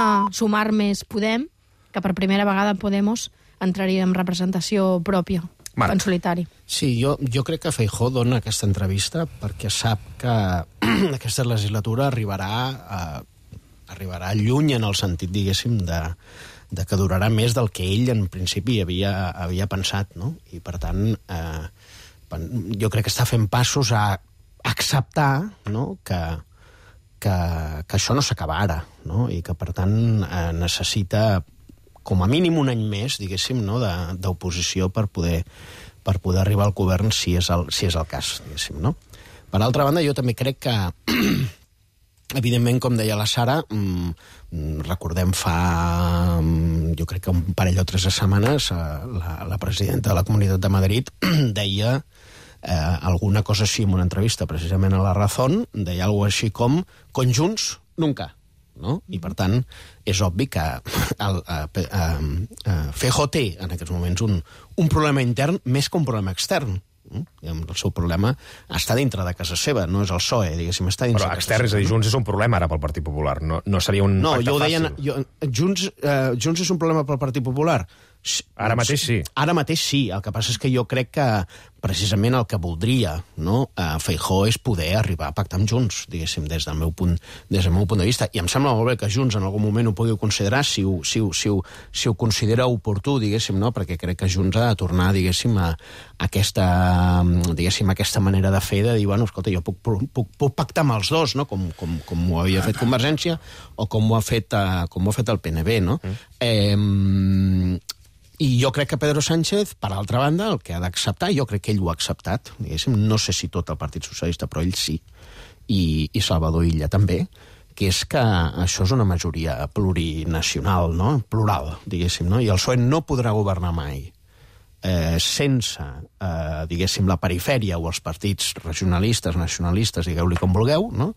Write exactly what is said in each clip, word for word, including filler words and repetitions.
suma, sumar més Podem, que per primera vegada Podemos entraria en representació pròpia, Marc. en solitari. Sí, jo, jo crec que Feijóo dona aquesta entrevista perquè sap que aquesta legislatura arribarà, a, arribarà lluny en el sentit, diguéssim, de, de que durarà més del que ell en principi havia, havia pensat, no? I per tant, eh, jo crec que està fent passos a acceptar, no?, que, que, que això no s'acaba ara, no?, i que per tant eh, necessita com a mínim un any més, diguéssim, no?, de, d'oposició per poder, per poder arribar al govern si és el, si és el cas, diguéssim, no? Per altra banda, jo també crec que evidentment, com deia la Sara, mmm, recordem fa, jo crec que un parell o tres de setmanes, la, la presidenta de la Comunitat de Madrid deia eh, alguna cosa així en una entrevista, precisament a La Razón, deia alguna cosa així com conjunts nunca, no? I per tant, és obvi que el, eh, eh, Feijóo té en aquests moments un, un problema intern més que un problema extern. El seu problema està dintre de casa seva, no és el P S O E, diguéssim, està dintre Però de casa extern, és a dir, seva. Junts és un problema ara pel Partit Popular, no, no seria un No, pacte jo ho fàcil. deien, jo, Junts, eh, Junts és un problema pel Partit Popular. Ara mateix sí. Ara mateix sí, el que passa és que jo crec que precisament el que voldria, no, eh, Feijóo és poder arribar a pactar amb Junts, diguéssim, des del meu punt, des del meu punt de vista. I em sembla molt bé que Junts en algun moment ho pugui considerar, si ho, si ho, si ho, si ho considera oportú, diguéssim, no, perquè crec que Junts ha de tornar, diguéssim, a aquesta, diguéssim, aquesta manera de fer, de dir, bueno, escolta, jo puc, puc, puc pactar amb els dos, no?, com, com, com ho havia fet Convergència o com ho ha fet, uh, com ho ha fet el P N B, no? Mm. Eh, I jo crec que Pedro Sánchez, per altra banda, el que ha d'acceptar, jo crec que ell ho ha acceptat, diguéssim, no sé si tot el Partit Socialista, però ell sí, i, i Salvador Illa també, que és que això és una majoria plurinacional, no?, plural, diguéssim, no? I el P S O E no podrà governar mai eh, sense, eh, diguéssim, la perifèria o els partits regionalistes, nacionalistes, digueu-li com vulgueu, no?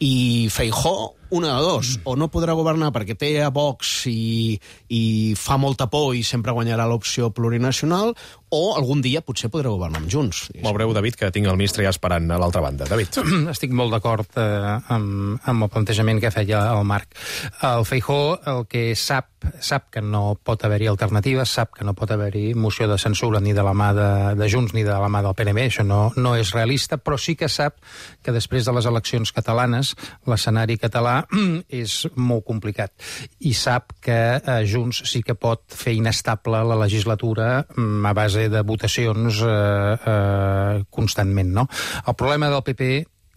I Feijóo, una de dos, o no podrà governar perquè té a Vox i, i fa molta por i sempre guanyarà l'opció plurinacional, o algun dia potser podrà governar amb Junts. Molt breu, David, que tinc el ministre ja esperant a l'altra banda. David. Estic molt d'acord eh, amb, amb el plantejament que feia el Marc. El Feijóo el que sap, sap que no pot haver-hi alternatives, sap que no pot haver-hi moció de censura ni de la mà de, de Junts ni de la mà del P N B, això no, no és realista, però sí que sap que després de les eleccions catalanes l'escenari català és molt complicat i sap que eh, Junts sí que pot fer inestable la legislatura a base de votacions eh, eh, constantment, no? El problema del P P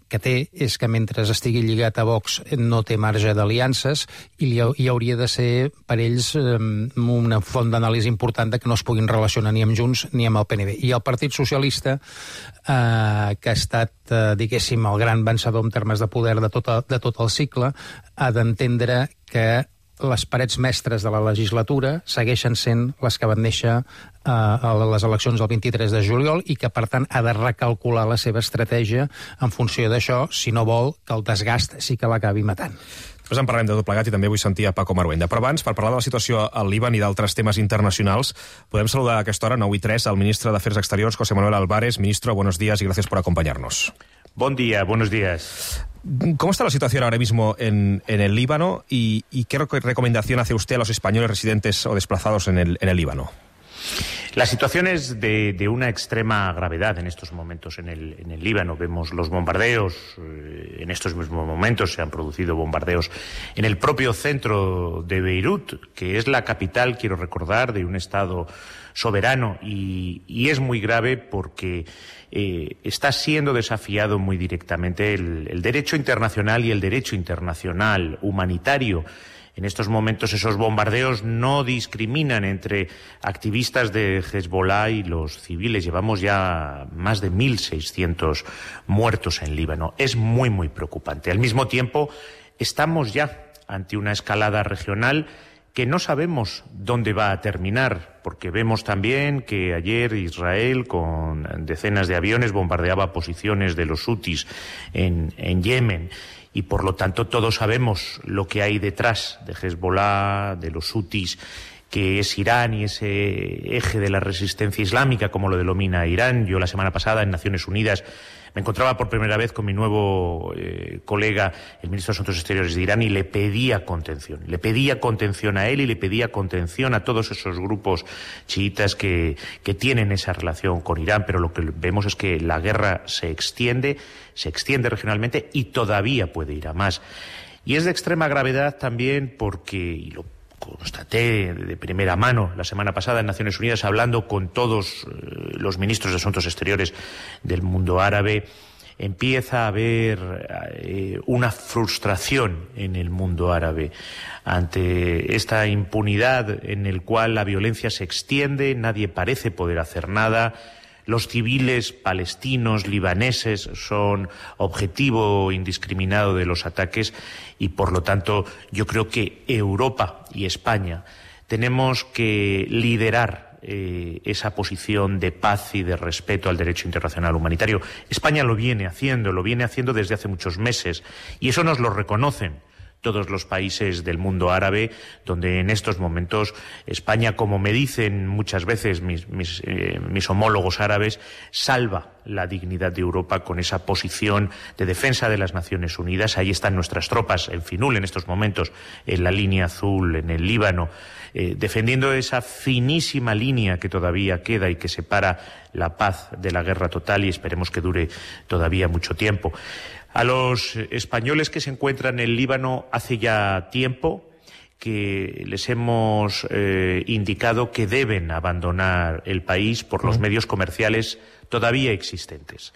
que té és que mentre estigui lligat a Vox no té marge d'aliances i hi hauria de ser per ells una font d'anàlisi important de que no es puguin relacionar ni amb Junts ni amb el P N B. I el Partit Socialista, eh, que ha estat, eh, diguéssim, el gran vencedor en termes de poder de tot, de tot el cicle, ha d'entendre que les parets mestres de la legislatura segueixen sent les que van néixer eh, a les eleccions del vint-i-tres de juliol i que, per tant, ha de recalcular la seva estratègia en funció d'això, si no vol que el desgast sí que l'acabi matant. Després en parlem de tot plegat i també vull sentir a Paco Maruenda. Però abans, per parlar de la situació al Líban i d'altres temes internacionals, podem saludar a aquesta hora, nou i tres, al ministre d'Afers Exteriors, José Manuel Álvarez. Ministro, buenos días y gracias por acompañarnos. Buen día, buenos días. ¿Cómo está la situación ahora mismo en, en el Líbano y, y qué recomendación hace usted a los españoles residentes o desplazados en el, en el Líbano? La situación es de, de una extrema gravedad en estos momentos en el, en el Líbano. Vemos los bombardeos, eh, en estos mismos momentos se han producido bombardeos en el propio centro de Beirut, que es la capital, quiero recordar, de un Estado soberano, y, y es muy grave porque eh, está siendo desafiado muy directamente el, el derecho internacional y el derecho internacional humanitario. En estos momentos esos bombardeos no discriminan entre activistas de Hezbollah y los civiles. Llevamos ya más de mil seiscientos muertos en Líbano. Es muy, muy preocupante. Al mismo tiempo, estamos ya ante una escalada regional que no sabemos dónde va a terminar, porque vemos también que ayer Israel, con decenas de aviones, bombardeaba posiciones de los hutis en, en Yemen. Y por lo tanto todos sabemos lo que hay detrás de Hezbollah, de los hutis, que es Irán y ese eje de la resistencia islámica, como lo denomina Irán. Yo la semana pasada en Naciones Unidas Me encontraba por primera vez con mi nuevo eh, colega, el ministro de Asuntos Exteriores de Irán, y le pedía contención. Le pedía contención a él y le pedía contención a todos esos grupos chiitas que, que tienen esa relación con Irán, pero lo que vemos es que la guerra se extiende, se extiende regionalmente y todavía puede ir a más. Y es de extrema gravedad también porque, y lo constaté de primera mano la semana pasada en Naciones Unidas, hablando con todos eh, los ministros de Asuntos Exteriores del mundo árabe, empieza a haber eh, una frustración en el mundo árabe ante esta impunidad en el cual la violencia se extiende, nadie parece poder hacer nada. Los civiles palestinos, libaneses, son objetivo indiscriminado de los ataques y, por lo tanto, yo creo que Europa y España tenemos que liderar eh, esa posición de paz y de respeto al derecho internacional humanitario. España lo viene haciendo, lo viene haciendo desde hace muchos meses y eso nos lo reconocen todos los países del mundo árabe, donde en estos momentos España, como me dicen muchas veces mis, mis, eh, mis homólogos árabes, salva la dignidad de Europa con esa posición de defensa de las Naciones Unidas. Ahí están nuestras tropas en Finul en estos momentos, en la línea azul, en el Líbano, eh, defendiendo esa finísima línea que todavía queda y que separa la paz de la guerra total y esperemos que dure todavía mucho tiempo. A los españoles que se encuentran en el Líbano hace ya tiempo que les hemos eh, indicado que deben abandonar el país por los medios comerciales todavía existentes.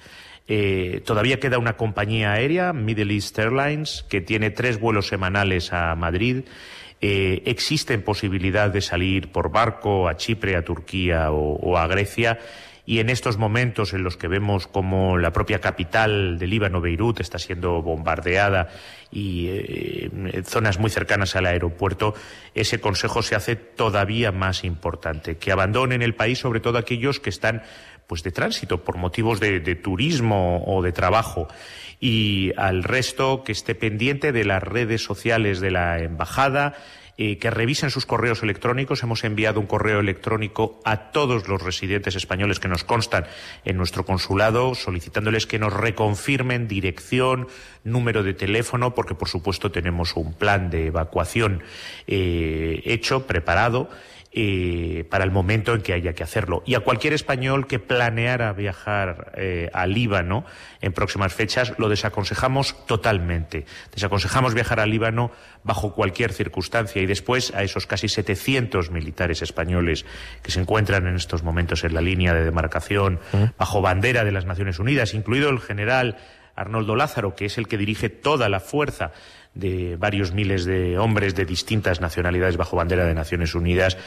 Eh, todavía queda una compañía aérea, Middle East Airlines, que tiene tres vuelos semanales a Madrid. Eh, existen posibilidad de salir por barco a Chipre, a Turquía o, o a Grecia. Y en estos momentos en los que vemos como la propia capital del Líbano, Beirut, está siendo bombardeada y eh, en zonas muy cercanas al aeropuerto, ese consejo se hace todavía más importante, que abandonen el país, sobre todo aquellos que están pues de tránsito por motivos de, de turismo o de trabajo, y al resto que esté pendiente de las redes sociales de la embajada, Eh, que revisen sus correos electrónicos. Hemos enviado un correo electrónico a todos los residentes españoles que nos constan en nuestro consulado, solicitándoles que nos reconfirmen dirección, número de teléfono, porque por supuesto tenemos un plan de evacuación eh, hecho, preparado, Eh, para el momento en que haya que hacerlo. Y a cualquier español que planeara viajar eh, al Líbano en próximas fechas, lo desaconsejamos totalmente. Desaconsejamos viajar al Líbano bajo cualquier circunstancia. Y después a esos casi setecientos militares españoles que se encuentran en estos momentos en la línea de demarcación, ¿Mm? bajo bandera de las Naciones Unidas, incluido el general Arnoldo Lázaro, que es el que dirige toda la fuerza de varios miles de hombres de distintas nacionalidades bajo bandera de Naciones Unidas,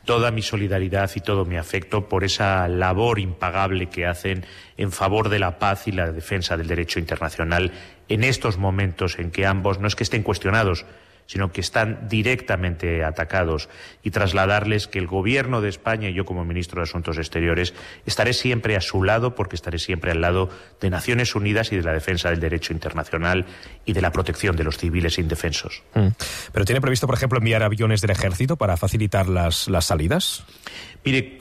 toda mi solidaridad y todo mi afecto por esa labor impagable que hacen en favor de la paz y la defensa del derecho internacional en estos momentos en que ambos no es que estén cuestionados, sino que están directamente atacados, y trasladarles que el Gobierno de España y yo como ministro de Asuntos Exteriores estaré siempre a su lado, porque estaré siempre al lado de Naciones Unidas y de la defensa del derecho internacional y de la protección de los civiles indefensos. Mm. ¿Pero tiene previsto, por ejemplo, enviar aviones del Ejército para facilitar las, las salidas? Mire,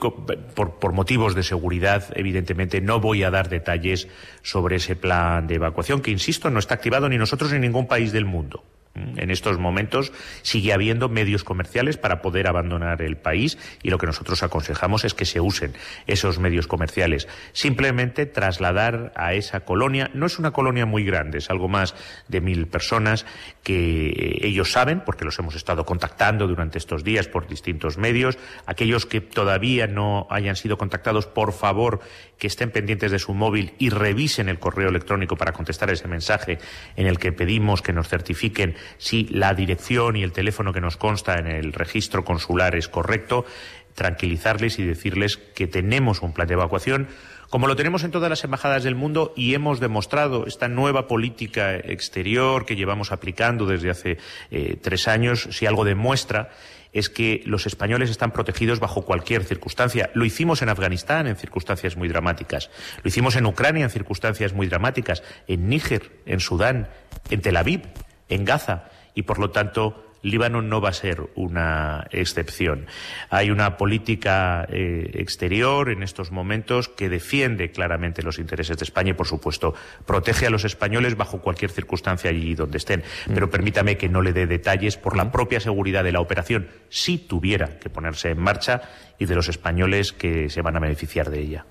por, por motivos de seguridad, evidentemente no voy a dar detalles sobre ese plan de evacuación, que, insisto, no está activado ni nosotros ni ningún país del mundo. En estos momentos sigue habiendo medios comerciales para poder abandonar el país y lo que nosotros aconsejamos es que se usen esos medios comerciales. Simplemente trasladar a esa colonia, no es una colonia muy grande, es algo más de mil personas, que ellos saben, porque los hemos estado contactando durante estos días por distintos medios. Aquellos que todavía no hayan sido contactados, por favor, que estén pendientes de su móvil y revisen el correo electrónico para contestar ese mensaje en el que pedimos que nos certifiquen si la dirección y el teléfono que nos consta en el registro consular es correcto, tranquilizarles y decirles que tenemos un plan de evacuación, como lo tenemos en todas las embajadas del mundo, y hemos demostrado esta nueva política exterior que llevamos aplicando desde hace eh, tres años. Si algo demuestra es que los españoles están protegidos bajo cualquier circunstancia. Lo hicimos en Afganistán en circunstancias muy dramáticas, lo hicimos en Ucrania en circunstancias muy dramáticas, en Níger, en Sudán, en Tel Aviv, en Gaza, y por lo tanto Líbano no va a ser una excepción. Hay una política eh, exterior en estos momentos que defiende claramente los intereses de España y, por supuesto, protege a los españoles bajo cualquier circunstancia allí donde estén. Pero permítame que no le dé detalles por la propia seguridad de la operación, si tuviera que ponerse en marcha, y de los españoles que se van a beneficiar de ella.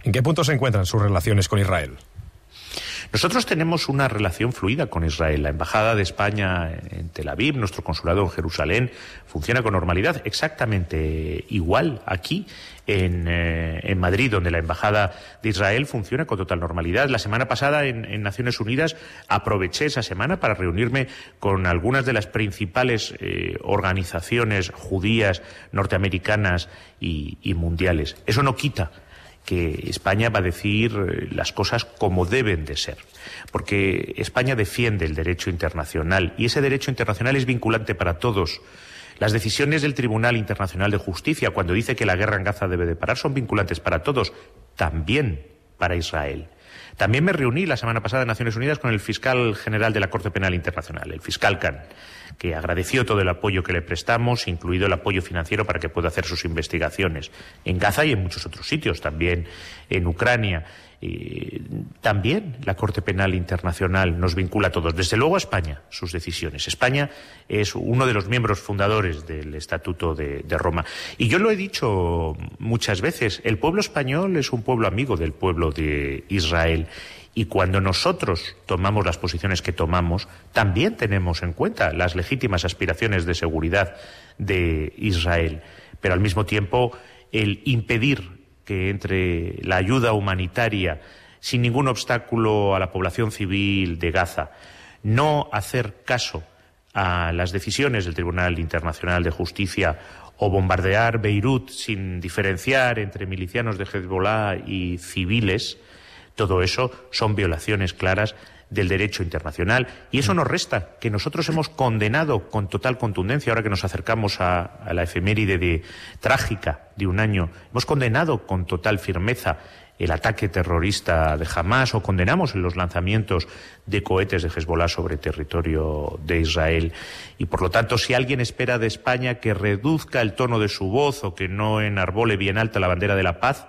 ¿En qué punto se encuentran sus relaciones con Israel? Nosotros tenemos una relación fluida con Israel. La Embajada de España en Tel Aviv, nuestro consulado en Jerusalén, funciona con normalidad, exactamente igual aquí en, eh, en Madrid, donde la Embajada de Israel funciona con total normalidad. La semana pasada en, en Naciones Unidas aproveché esa semana para reunirme con algunas de las principales eh, organizaciones judías norteamericanas y, y mundiales. Eso no quita que España va a decir las cosas como deben de ser, porque España defiende el derecho internacional y ese derecho internacional es vinculante para todos. Las decisiones del Tribunal Internacional de Justicia, cuando dice que la guerra en Gaza debe de parar, son vinculantes para todos, también para Israel. También me reuní la semana pasada en Naciones Unidas con el fiscal general de la Corte Penal Internacional, el fiscal Khan, que agradeció todo el apoyo que le prestamos, incluido el apoyo financiero para que pueda hacer sus investigaciones en Gaza y en muchos otros sitios, también en Ucrania. Eh, también la Corte Penal Internacional nos vincula a todos, desde luego a España, sus decisiones. España es uno de los miembros fundadores del Estatuto de, de Roma. Y yo lo he dicho muchas veces, el pueblo español es un pueblo amigo del pueblo de Israel. Y cuando nosotros tomamos las posiciones que tomamos, también tenemos en cuenta las legítimas aspiraciones de seguridad de Israel. Pero al mismo tiempo, el impedir que entre la ayuda humanitaria sin ningún obstáculo a la población civil de Gaza, no hacer caso a las decisiones del Tribunal Internacional de Justicia o bombardear Beirut sin diferenciar entre milicianos de Hezbollah y civiles, todo eso son violaciones claras del derecho internacional. Y eso nos resta que nosotros hemos condenado con total contundencia, ahora que nos acercamos a, a la efeméride de, trágica de un año, hemos condenado con total firmeza el ataque terrorista de Hamás, o condenamos los lanzamientos de cohetes de Hezbollah sobre territorio de Israel. Y por lo tanto, si alguien espera de España que reduzca el tono de su voz o que no enarbole bien alta la bandera de la paz,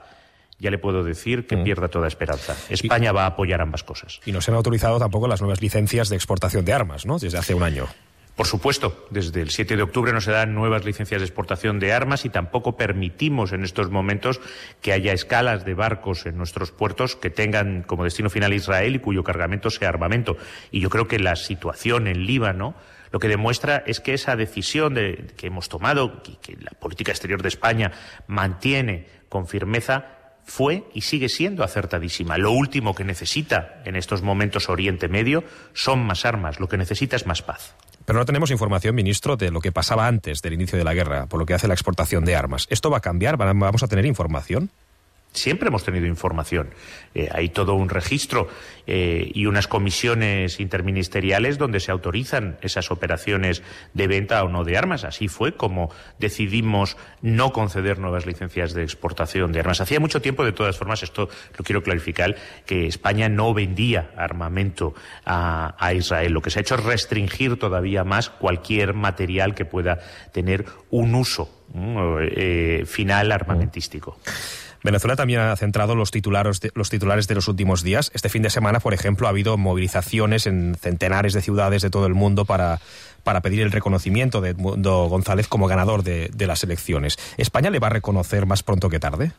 ya le puedo decir que mm. pierda toda esperanza. España y, va a apoyar ambas cosas. Y no se han autorizado tampoco las nuevas licencias de exportación de armas, ¿no?, desde hace un año. Por supuesto, desde el siete de octubre no se dan nuevas licencias de exportación de armas y tampoco permitimos en estos momentos que haya escalas de barcos en nuestros puertos que tengan como destino final Israel y cuyo cargamento sea armamento. Y yo creo que la situación en Líbano lo que demuestra es que esa decisión de, que hemos tomado, que, que la política exterior de España mantiene con firmeza, fue y sigue siendo acertadísima. Lo último que necesita en estos momentos Oriente Medio son más armas, lo que necesita es más paz. Pero no tenemos información, ministro, de lo que pasaba antes del inicio de la guerra, por lo que hace la exportación de armas. ¿Esto va a cambiar? ¿Vamos a tener información? Siempre hemos tenido información. Eh, hay todo un registro eh, y unas comisiones interministeriales donde se autorizan esas operaciones de venta o no de armas. Así fue como decidimos no conceder nuevas licencias de exportación de armas. Hacía mucho tiempo, de todas formas, esto lo quiero clarificar, que España no vendía armamento a, a Israel. Lo que se ha hecho es restringir todavía más cualquier material que pueda tener un uso eh, final armamentístico. Venezuela también ha centrado los titulares, de, los titulares de los últimos días. Este fin de semana, por ejemplo, ha habido movilizaciones en centenares de ciudades de todo el mundo para, para pedir el reconocimiento de Edmundo González como ganador de, de las elecciones. ¿España le va a reconocer más pronto que tarde?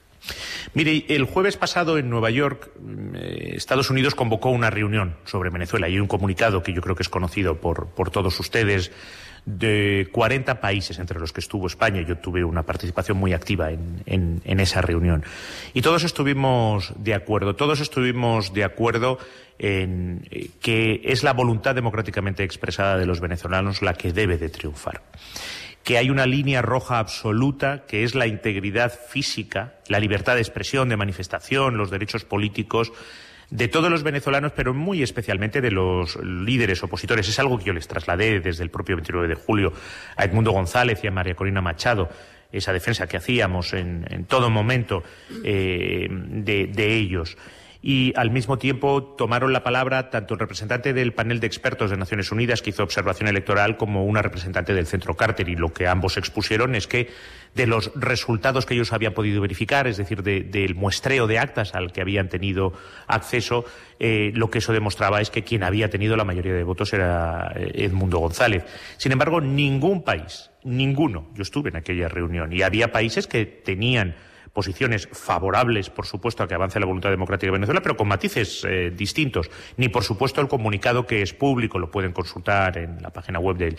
Mire, el jueves pasado en Nueva York, eh, Estados Unidos convocó una reunión sobre Venezuela y hay un comunicado que yo creo que es conocido por, por todos ustedes, de cuarenta países entre los que estuvo España. Yo tuve una participación muy activa en, en, en esa reunión. Y todos estuvimos de acuerdo, todos estuvimos de acuerdo en que es la voluntad democráticamente expresada de los venezolanos la que debe de triunfar. Que hay una línea roja absoluta, que es la integridad física, la libertad de expresión, de manifestación, los derechos políticos de todos los venezolanos, pero muy especialmente de los líderes opositores. Es algo que yo les trasladé desde el propio veintinueve de julio a Edmundo González y a María Corina Machado, esa defensa que hacíamos en, en todo momento eh, de, de ellos. y al mismo tiempo tomaron la palabra tanto el representante del panel de expertos de Naciones Unidas que hizo observación electoral como una representante del Centro Carter, y lo que ambos expusieron es que de los resultados que ellos habían podido verificar, es decir, de, del muestreo de actas al que habían tenido acceso, eh, lo que eso demostraba es que quien había tenido la mayoría de votos era Edmundo González. Sin embargo, ningún país, ninguno, yo estuve en aquella reunión y había países que tenían posiciones favorables, por supuesto, a que avance la voluntad democrática de Venezuela, pero con matices eh, distintos. Ni, por supuesto, el comunicado, que es público, lo pueden consultar en la página web del,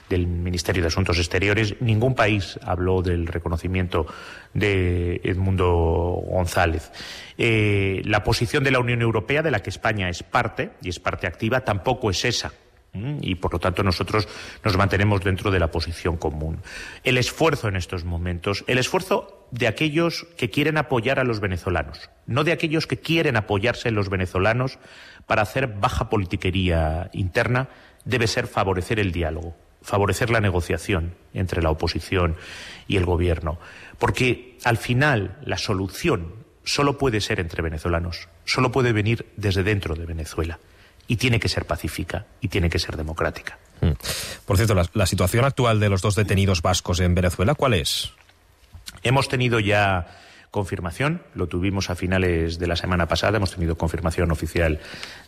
del Ministerio de Asuntos Exteriores. Ningún país habló del reconocimiento de Edmundo González. Eh, la posición de la Unión Europea, de la que España es parte, y es parte activa, tampoco es esa. Y, por lo tanto, nosotros nos mantenemos dentro de la posición común. El esfuerzo en estos momentos, el esfuerzo de aquellos que quieren apoyar a los venezolanos, no de aquellos que quieren apoyarse en los venezolanos para hacer baja politiquería interna, debe ser favorecer el diálogo, favorecer la negociación entre la oposición y el gobierno. Porque, al final, la solución solo puede ser entre venezolanos, solo puede venir desde dentro de Venezuela. Y tiene que ser pacífica y tiene que ser democrática. Mm. Por cierto, la, la situación actual de los dos detenidos vascos en Venezuela, ¿cuál es? Hemos tenido ya confirmación, lo tuvimos a finales de la semana pasada, hemos tenido confirmación oficial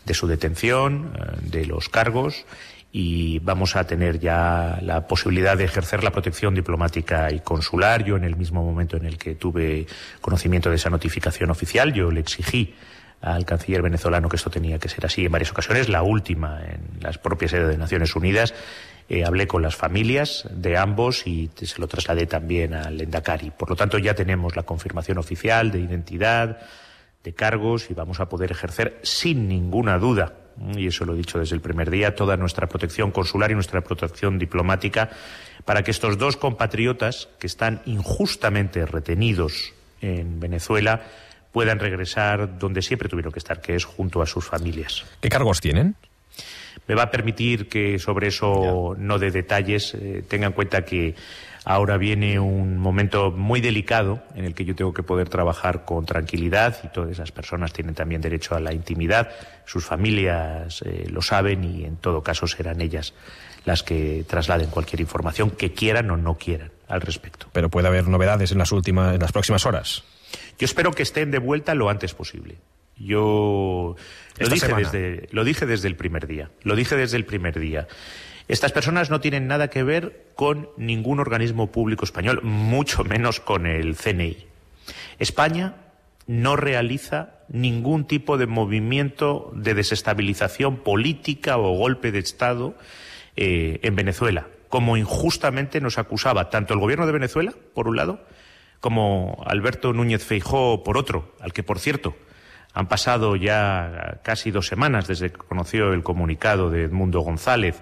de su detención, de los cargos, y vamos a tener ya la posibilidad de ejercer la protección diplomática y consular. Yo, en el mismo momento en el que tuve conocimiento de esa notificación oficial, yo le exigí al canciller venezolano que esto tenía que ser así en varias ocasiones, la última en las propias sedes de Naciones Unidas. Eh, hablé con las familias de ambos y se lo trasladé también al Endacari. Por lo tanto, ya tenemos la confirmación oficial de identidad, de cargos, y vamos a poder ejercer sin ninguna duda, y eso lo he dicho desde el primer día, toda nuestra protección consular y nuestra protección diplomática para que estos dos compatriotas que están injustamente retenidos en Venezuela puedan regresar donde siempre tuvieron que estar, que es junto a sus familias. ¿Qué cargos tienen? Me va a permitir que sobre eso ya no dé detalles. Eh, tenga en cuenta que ahora viene un momento muy delicado en el que yo tengo que poder trabajar con tranquilidad, y todas esas personas tienen también derecho a la intimidad. Sus familias eh, lo saben, y en todo caso serán ellas las que trasladen cualquier información que quieran o no quieran al respecto. Pero puede haber novedades en las últimas, en las próximas horas. Yo espero que estén de vuelta lo antes posible. Yo lo dije, desde, lo dije desde el primer día. Lo dije desde el primer día. Estas personas no tienen nada que ver con ningún organismo público español, mucho menos con el C N I. España no realiza ningún tipo de movimiento de desestabilización política o golpe de Estado eh, en Venezuela, como injustamente nos acusaba tanto el gobierno de Venezuela, por un lado, como Alberto Núñez Feijóo, por otro, al que, por cierto, han pasado ya casi dos semanas desde que conoció el comunicado de Edmundo González,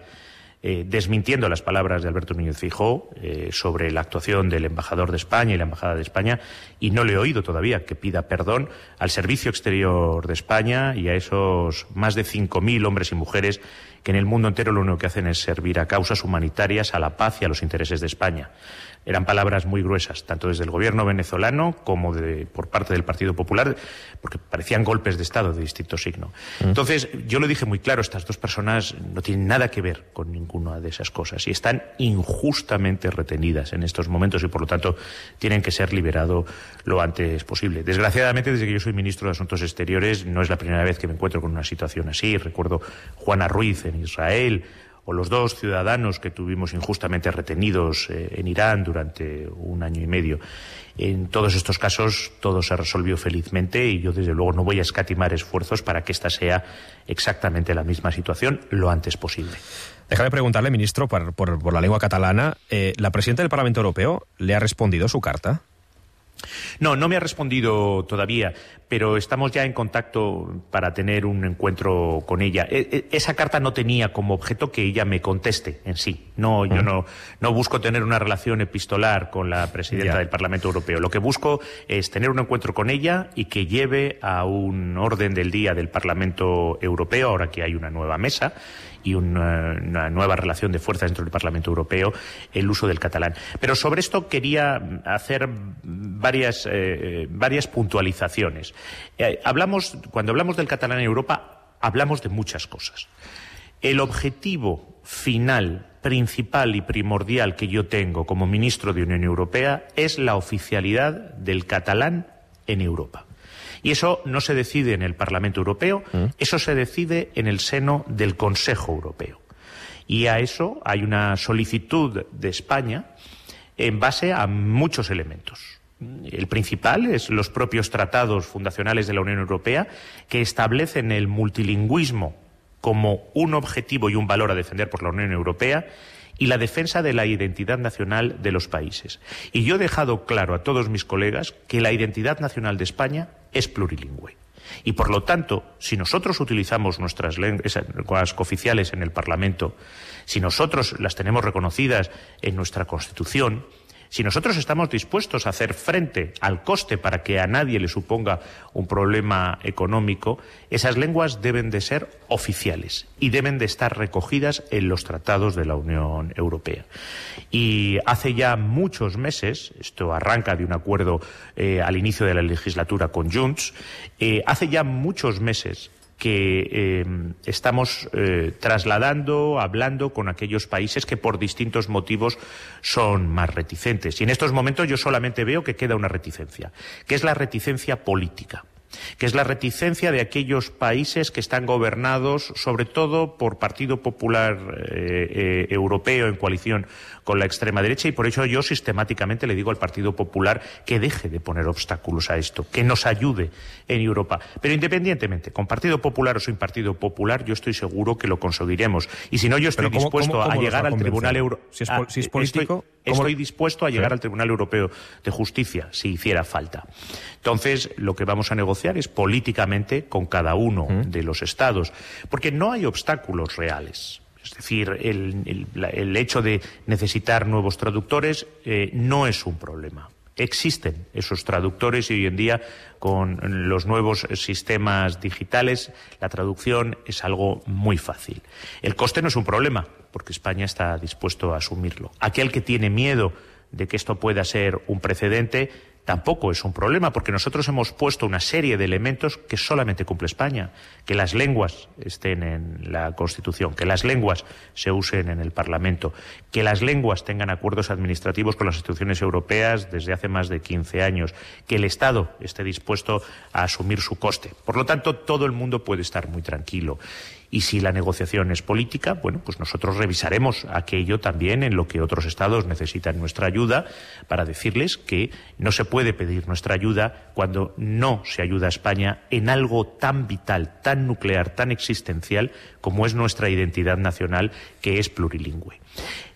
eh, desmintiendo las palabras de Alberto Núñez Feijóo eh, sobre la actuación del embajador de España y la Embajada de España, y no le he oído todavía que pida perdón al Servicio Exterior de España y a esos más de cinco mil hombres y mujeres que en el mundo entero lo único que hacen es servir a causas humanitarias, a la paz y a los intereses de España. Eran palabras muy gruesas, tanto desde el gobierno venezolano como de, por parte del Partido Popular, porque parecían golpes de Estado de distinto signo. Mm. Entonces, yo lo dije muy claro, estas dos personas no tienen nada que ver con ninguna de esas cosas y están injustamente retenidas en estos momentos y, por lo tanto, tienen que ser liberados lo antes posible. Desgraciadamente, desde que yo soy ministro de Asuntos Exteriores, no es la primera vez que me encuentro con una situación así. Recuerdo Juana Ruiz en Israel, o los dos ciudadanos que tuvimos injustamente retenidos eh, en Irán durante un año y medio. En todos estos casos todo se resolvió felizmente y yo desde luego no voy a escatimar esfuerzos para que esta sea exactamente la misma situación lo antes posible. Déjame preguntarle, ministro, por, por, por la lengua catalana, eh, ¿la presidenta del Parlamento Europeo le ha respondido su carta? No, no me ha respondido todavía, pero estamos ya en contacto para tener un encuentro con ella. E- esa carta no tenía como objeto que ella me conteste en sí. No, yo no, no busco tener una relación epistolar con la presidenta Ya. del Parlamento Europeo. Lo que busco es tener un encuentro con ella y que lleve a un orden del día del Parlamento Europeo, ahora que hay una nueva mesa, y una, una nueva relación de fuerzas dentro del Parlamento Europeo el uso del catalán. Pero sobre esto quería hacer varias, eh, varias puntualizaciones. Eh, hablamos, cuando hablamos del catalán en Europa, hablamos de muchas cosas. El objetivo final, principal y primordial que yo tengo como ministro de Unión Europea es la oficialidad del catalán en Europa. Y eso no se decide en el Parlamento Europeo, ¿Mm? eso se decide en el seno del Consejo Europeo. Y a eso hay una solicitud de España en base a muchos elementos. El principal es los propios tratados fundacionales de la Unión Europea, que establecen el multilingüismo como un objetivo y un valor a defender por la Unión Europea, y la defensa de la identidad nacional de los países. Y yo he dejado claro a todos mis colegas que la identidad nacional de España es plurilingüe. Y, por lo tanto, si nosotros utilizamos nuestras lenguas cooficiales en el Parlamento, si nosotros las tenemos reconocidas en nuestra Constitución, si nosotros estamos dispuestos a hacer frente al coste para que a nadie le suponga un problema económico, esas lenguas deben de ser oficiales y deben de estar recogidas en los tratados de la Unión Europea. Y hace ya muchos meses, esto arranca de un acuerdo eh, al inicio de la legislatura con Junts, eh, hace ya muchos meses que eh, estamos eh, trasladando, hablando con aquellos países que por distintos motivos son más reticentes. Y en estos momentos yo solamente veo que queda una reticencia, que es la reticencia política, que es la reticencia de aquellos países que están gobernados sobre todo por Partido Popular eh, eh, Europeo en coalición con la extrema derecha, y por eso yo sistemáticamente le digo al Partido Popular que deje de poner obstáculos a esto, que nos ayude en Europa. Pero independientemente, con Partido Popular o sin Partido Popular, yo estoy seguro que lo conseguiremos. Y si no, yo estoy ¿cómo, dispuesto cómo, cómo a llegar al Tribunal Europeo. Si es, si es político, estoy, estoy dispuesto a llegar sí. al Tribunal Europeo de Justicia, si hiciera falta. Entonces, lo que vamos a negociar es políticamente con cada uno ¿Mm? de los Estados, porque no hay obstáculos reales. Es decir, el, el, el hecho de necesitar nuevos traductores eh, no es un problema. Existen esos traductores y hoy en día con los nuevos sistemas digitales la traducción es algo muy fácil. El coste no es un problema porque España está dispuesto a asumirlo. Aquel que tiene miedo de que esto pueda ser un precedente tampoco es un problema, porque nosotros hemos puesto una serie de elementos que solamente cumple España, que las lenguas estén en la Constitución, que las lenguas se usen en el Parlamento, que las lenguas tengan acuerdos administrativos con las instituciones europeas desde hace más de quince años, que el Estado esté dispuesto a asumir su coste. Por lo tanto, todo el mundo puede estar muy tranquilo. Y si la negociación es política, bueno, pues nosotros revisaremos aquello también en lo que otros Estados necesitan nuestra ayuda para decirles que no se puede pedir nuestra ayuda cuando no se ayuda a España en algo tan vital, tan nuclear, tan existencial como es nuestra identidad nacional, que es plurilingüe.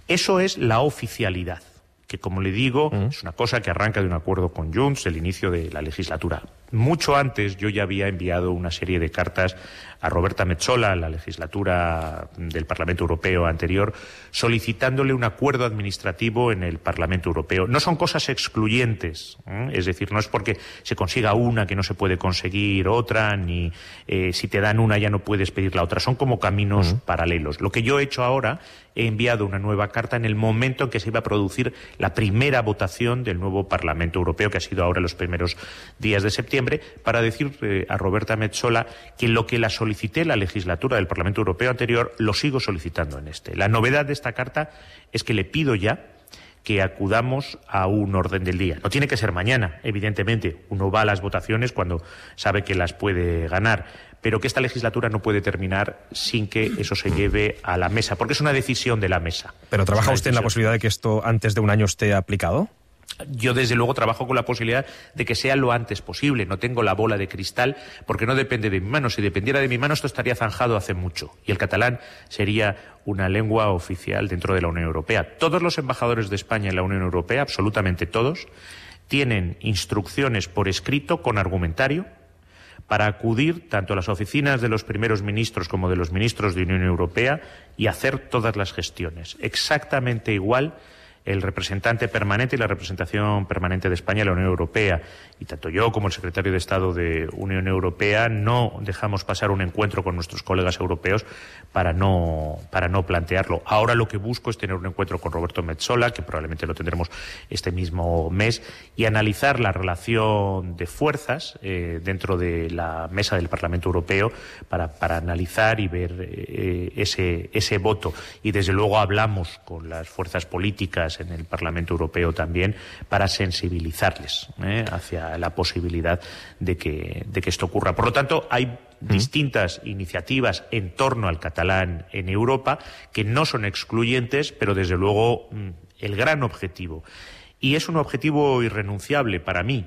Eso es la oficialidad, que, como le digo, mm. es una cosa que arranca de un acuerdo con Junts, el inicio de la legislatura. Mucho antes yo ya había enviado una serie de cartas a Roberta Metsola, en la legislatura del Parlamento Europeo anterior, solicitándole un acuerdo administrativo en el Parlamento Europeo. No son cosas excluyentes, ¿eh? Es decir, no es porque se consiga una que no se puede conseguir otra, ni eh, si te dan una ya no puedes pedir la otra. Son como caminos uh-huh. paralelos. Lo que yo he hecho ahora, he enviado una nueva carta en el momento en que se iba a producir la primera votación del nuevo Parlamento Europeo, que ha sido ahora en los primeros días de septiembre, para decir eh, a Roberta Metsola que lo que la solicité en la legislatura del Parlamento Europeo anterior lo sigo solicitando en este. La novedad de esta carta es que le pido ya que acudamos a un orden del día. No tiene que ser mañana, evidentemente. Uno va a las votaciones cuando sabe que las puede ganar, pero que esta legislatura no puede terminar sin que eso se lleve a la mesa, porque es una decisión de la mesa. ¿Pero trabaja usted en la posibilidad de que esto antes de un año esté aplicado? Yo, desde luego, trabajo con la posibilidad de que sea lo antes posible. No tengo la bola de cristal porque no depende de mi mano. Si dependiera de mi mano, esto estaría zanjado hace mucho. Y el catalán sería una lengua oficial dentro de la Unión Europea. Todos los embajadores de España en la Unión Europea, absolutamente todos, tienen instrucciones por escrito con argumentario para acudir tanto a las oficinas de los primeros ministros como de los ministros de Unión Europea y hacer todas las gestiones. Exactamente igual el representante permanente y la representación permanente de España en la Unión Europea. Y tanto yo como el secretario de Estado de Unión Europea no dejamos pasar un encuentro con nuestros colegas europeos para no, para no plantearlo. Ahora lo que busco es tener un encuentro con Roberto Metsola, que probablemente lo tendremos este mismo mes, y analizar la relación de fuerzas eh, dentro de la mesa del Parlamento Europeo para, para analizar y ver eh, ese, ese voto. Y desde luego hablamos con las fuerzas políticas en el Parlamento Europeo también para sensibilizarles eh, hacia la posibilidad de que, de que esto ocurra. Por lo tanto, hay mm. distintas iniciativas en torno al catalán en Europa que no son excluyentes, pero desde luego el gran objetivo, y es un objetivo irrenunciable para mí,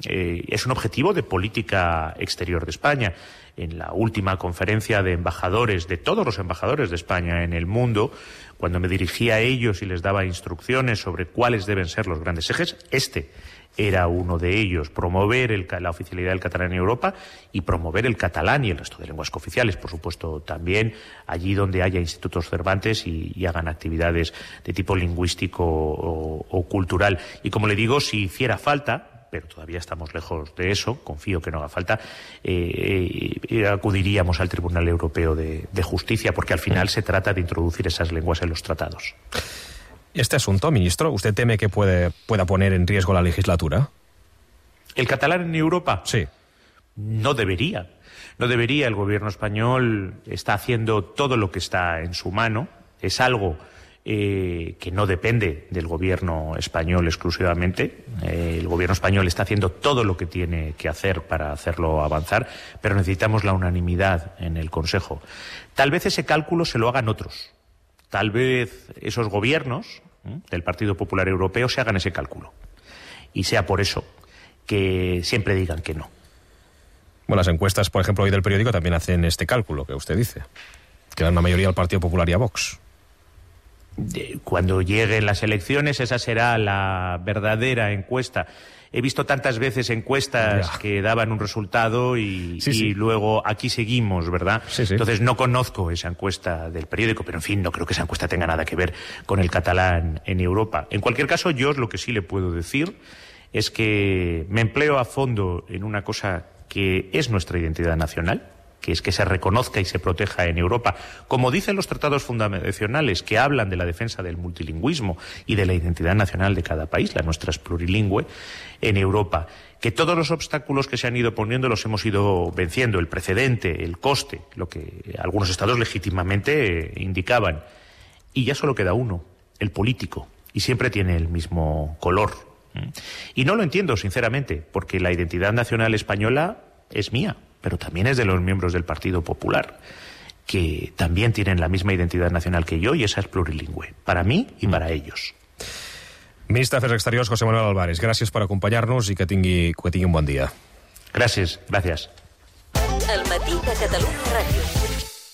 eh, es un objetivo de política exterior de España. En la última conferencia de embajadores, de todos los embajadores de España en el mundo, cuando me dirigía a ellos y les daba instrucciones sobre cuáles deben ser los grandes ejes, este era uno de ellos: promover el, la oficialidad del catalán en Europa y promover el catalán y el resto de lenguas cooficiales, por supuesto, también allí donde haya institutos Cervantes y, y hagan actividades de tipo lingüístico o, o cultural. Y como le digo, si hiciera falta, pero todavía estamos lejos de eso, confío que no haga falta, eh, eh, acudiríamos al Tribunal Europeo de, de Justicia, porque al final se trata de introducir esas lenguas en los tratados. Este asunto, ministro, ¿usted teme que puede, pueda poner en riesgo la legislatura? ¿El catalán en Europa? Sí. No debería. No debería. El gobierno español está haciendo todo lo que está en su mano. Es algo Eh, que no depende del gobierno español exclusivamente. Eh, el gobierno español está haciendo todo lo que tiene que hacer para hacerlo avanzar, pero necesitamos la unanimidad en el Consejo. Tal vez ese cálculo se lo hagan otros. Tal vez esos gobiernos ¿eh? del Partido Popular Europeo se hagan ese cálculo. Y sea por eso que siempre digan que no. Bueno, las encuestas, por ejemplo, hoy del periódico también hacen este cálculo que usted dice, que dan una mayoría al Partido Popular y a Vox. Cuando lleguen las elecciones, esa será la verdadera encuesta. He visto tantas veces encuestas ya. que daban un resultado y, sí, y sí. luego aquí seguimos, ¿verdad? Sí, sí. Entonces no conozco esa encuesta del periódico, pero en fin, no creo que esa encuesta tenga nada que ver con el catalán en Europa. En cualquier caso, yo lo que sí le puedo decir es que me empleo a fondo en una cosa que es nuestra identidad nacional, que es que se reconozca y se proteja en Europa, como dicen los tratados fundacionales que hablan de la defensa del multilingüismo y de la identidad nacional de cada país, la nuestra es plurilingüe, en Europa. Que todos los obstáculos que se han ido poniendo los hemos ido venciendo, el precedente, el coste, lo que algunos estados legítimamente indicaban. Y ya solo queda uno, el político, y siempre tiene el mismo color. Y no lo entiendo, sinceramente, porque la identidad nacional española es mía, pero también es de los miembros del Partido Popular, que también tienen la misma identidad nacional que yo, y esa es plurilingüe, para mí i para ellos. Ministre d'Afers Exteriors, José Manuel Álvarez, gràcies per acompanyar-nos i que tingui, que tingui un bon dia. Gràcies, gràcies. El matí de Catalunya Ràdio.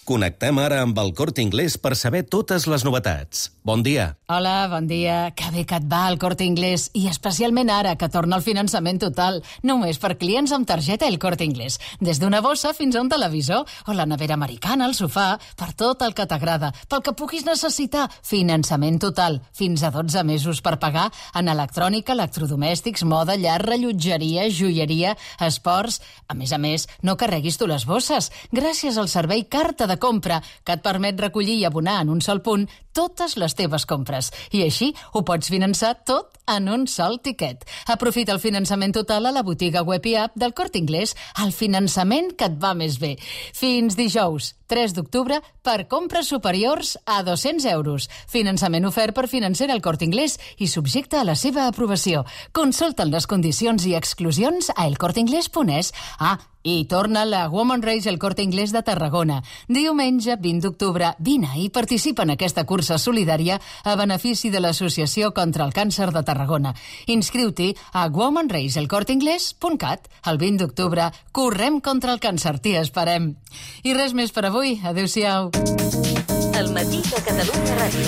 Connectem ara amb el Corte Inglés per saber totes les novetats. Bon dia. Hola, bon dia. Que bé que et va el Corte Inglés, i especialment ara que torna el finançament total, només per clients amb targeta El Corte Inglés. Des d'una bossa fins a un televisor, o la nevera americana, el sofà, per tot el que t'agrada, pel que puguis necessitar. Finançament total, fins a dotze mesos per pagar en electrònica, electrodomèstics, moda, llar, rellotgeria, joieria, esports. A més a més, no carreguis tu les bosses. Gràcies al servei Carta de de compra, que et permet recollir i abonar en un sol punt totes les teves compres. I així ho pots finançar tot en un sol tiquet. Aprofita el finançament total a la botiga web i app del Corte Inglés, el finançament que et va més bé. Fins dijous, tres d'octubre, per compres superiors a dos-cents euros. Finançament ofert per Financera El Corte Inglés i subjecte a la seva aprovació. Consulten les condicions i exclusions a elcorteinglés punt es. Ah, i torna la Women Race El Corte Inglés de Tarragona. Diumenge vint d'octubre, vine i participa en aquesta cursa solidària a benefici de l'Associació contra el Càncer de Tarragona. Inscriu-t'hi a women race el corte inglés punt cat. El vint d'octubre correm contra el càncer, t'hi esperem. I res més per avui. Adéu-siau. El matí de Catalunya Ràdio.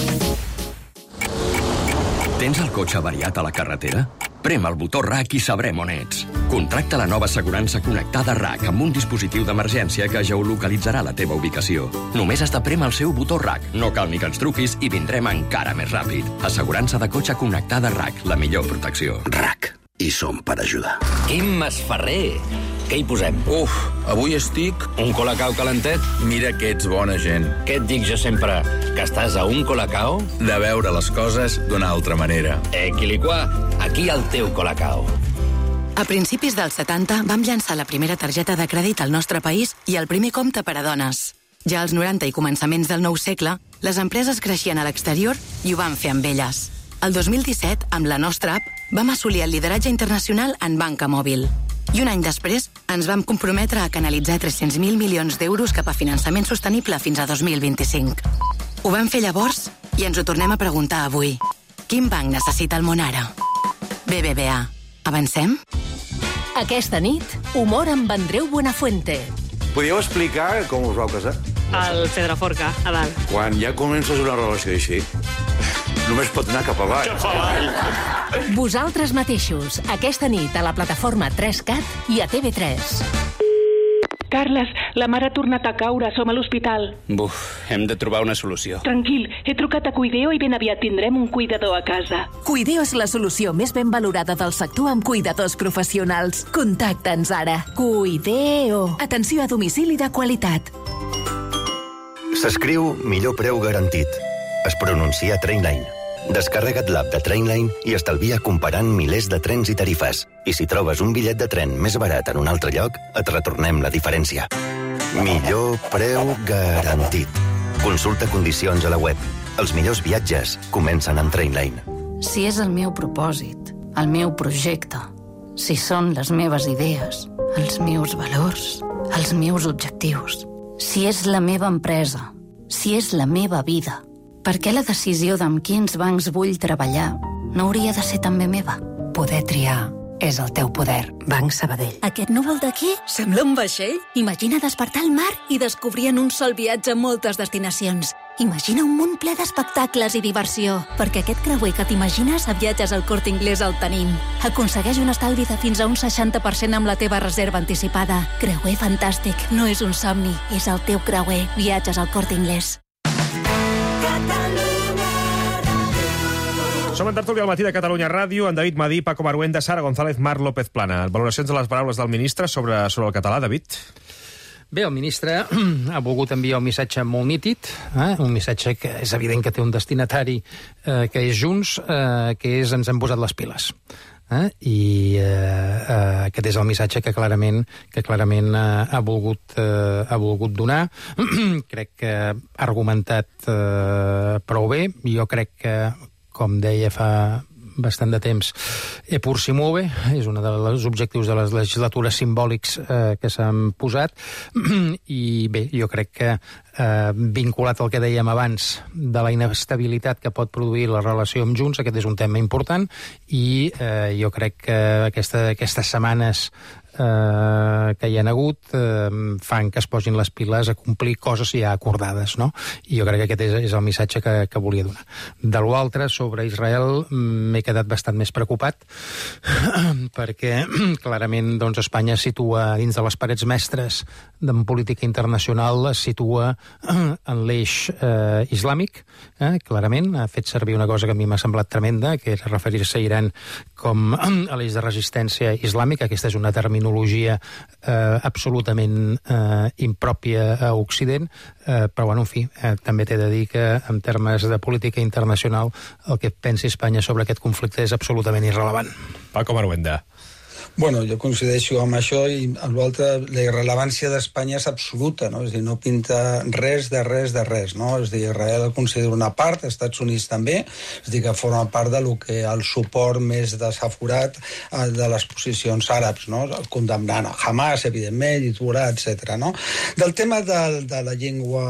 Tens el cotxe avariat a la carretera? Prem el botó R A C i sabrem on ets. Contracta la nova assegurança connectada R A C amb un dispositiu d'emergència que geolocalitzarà la teva ubicació. Només has de prémer el seu botó R A C. No cal ni que ens truquis i vindrem encara més ràpid. Assegurança de cotxe connectada R A C, la millor protecció. R A C. I som per ajudar. Quim Masferrer. Què hi posem? Uf, avui estic... Un colacao calentet? Mira que ets bona gent. Què et dic jo sempre? Que estàs a un colacao? De veure les coses d'una altra manera. Equiliquà, aquí el teu colacao. A principis dels setanta vam llançar la primera targeta de crèdit al nostre país i el primer compte per a dones. Ja als noranta i començaments del nou segle, les empreses creixien a l'exterior i ho van fer amb elles. El dos mil disset, amb la nostra app, vam assolir el lideratge internacional en banca mòbil. I un any després ens vam comprometre a canalitzar tres-cents mil milions d'euros cap a finançament sostenible fins a dos mil vint-i-cinc. Ho vam fer llavors i ens ho tornem a preguntar avui. Quin banc necessita el món ara? B B V A. Avancem? Aquesta nit, humor amb Andreu Buenafuente. Podríeu explicar com us vau casar? Al Pedraforca, a dalt. Quan ja comences una relació així, només pot anar cap avall. Cap avall. Vosaltres mateixos, aquesta nit a la plataforma tres cat i a T V tres. Carles, la mare ha tornat a caure, som a l'hospital. Buf, hem de trobar una solució. Tranquil, he trucat a Cuideo i ben aviat tindrem un cuidador a casa. Cuideo és la solució més ben valorada del sector amb cuidadors professionals. Contacta'ns ara. Cuideo. Atenció a domicili de qualitat. S'escriu millor preu garantit. Es pronuncia Trainline. Descarrega't l'app de Trainline i estalvia comparant milers de trens i tarifes. I si trobes un bitllet de tren més barat en un altre lloc, et retornem la diferència. Millor preu garantit. Consulta condicions a la web. Els millors viatges comencen amb Trainline. Si és el meu propòsit, el meu projecte, si són les meves idees, els meus valors, els meus objectius, si és la meva empresa, si és la meva vida, per què la decisió d'amb quins bancs vull treballar no hauria de ser també meva? Poder triar és el teu poder. Banc Sabadell. Aquest núvol d'aquí sembla un vaixell. Imagina despertar al mar i descobrir en un sol viatge moltes destinacions. Imagina un món ple d'espectacles i diversió. Perquè aquest creuer que t'imagines a Viatges al Corte Inglés el tenim. Aconsegueix un estalvi de fins a un seixanta per cent amb la teva reserva anticipada. Creuer fantàstic. No és un somni, és el teu creuer. Viatges al Corte Inglés. Som en tertúlia al matí de Catalunya Ràdio, en David Madí, Paco Maruenda, Sara González, Marc López Plana. Valoracions de les paraules del ministre sobre, sobre el català, David? Bé, el ministre ha volgut enviar un missatge molt nítid, eh? un missatge que és evident que té un destinatari eh, que és Junts, eh, que és ens hem posat les piles. Eh? I eh, eh, aquest és el missatge que clarament, que clarament eh, ha, volgut, eh, ha volgut donar. Crec que ha argumentat eh, prou bé. Jo crec que, com deia fa bastant de temps, e pur si muove, és un dels objectius de les legislatures simbòlics eh, que s'han posat, i bé, jo crec que eh, vinculat al que dèiem abans de la inestabilitat que pot produir la relació amb Junts, aquest és un tema important, i eh, jo crec que aquesta, aquestes setmanes eh, que hi ha hagut eh, fan que es posin les piles a complir coses ja acordades, no? I jo crec que aquest és, és el missatge que, que volia donar. De l'altre, sobre Israel, m'he quedat bastant més preocupat perquè clarament doncs, Espanya es situa dins de les parets mestres de política internacional, es situa en l'eix eh, islàmic, eh, clarament. Ha fet servir una cosa que a mi m'ha semblat tremenda, que és referir-se a Iran com a l'eix de resistència islàmica. Aquesta és una terminologia eh, absolutament eh, impròpia a Occident, eh, però, bueno, en fi, eh, també t'he de dir que en termes de política internacional el que pensi Espanya sobre aquest conflicte és absolutament irrellevant. Paco Maruenda. Bueno, jo coincideixo amb això i amb l'altre, la irrellevància d'Espanya és absoluta, no? És a dir, no pinta res de res de res, no? És a dir, Israel el considera una part, els Estats Units també, és a dir, que forma part de lo que el suport més desaforat de les posicions àrabs, no? Condemnant a Hamas, evidentment, Hezbollah, etcètera, no? Del tema de, de la llengua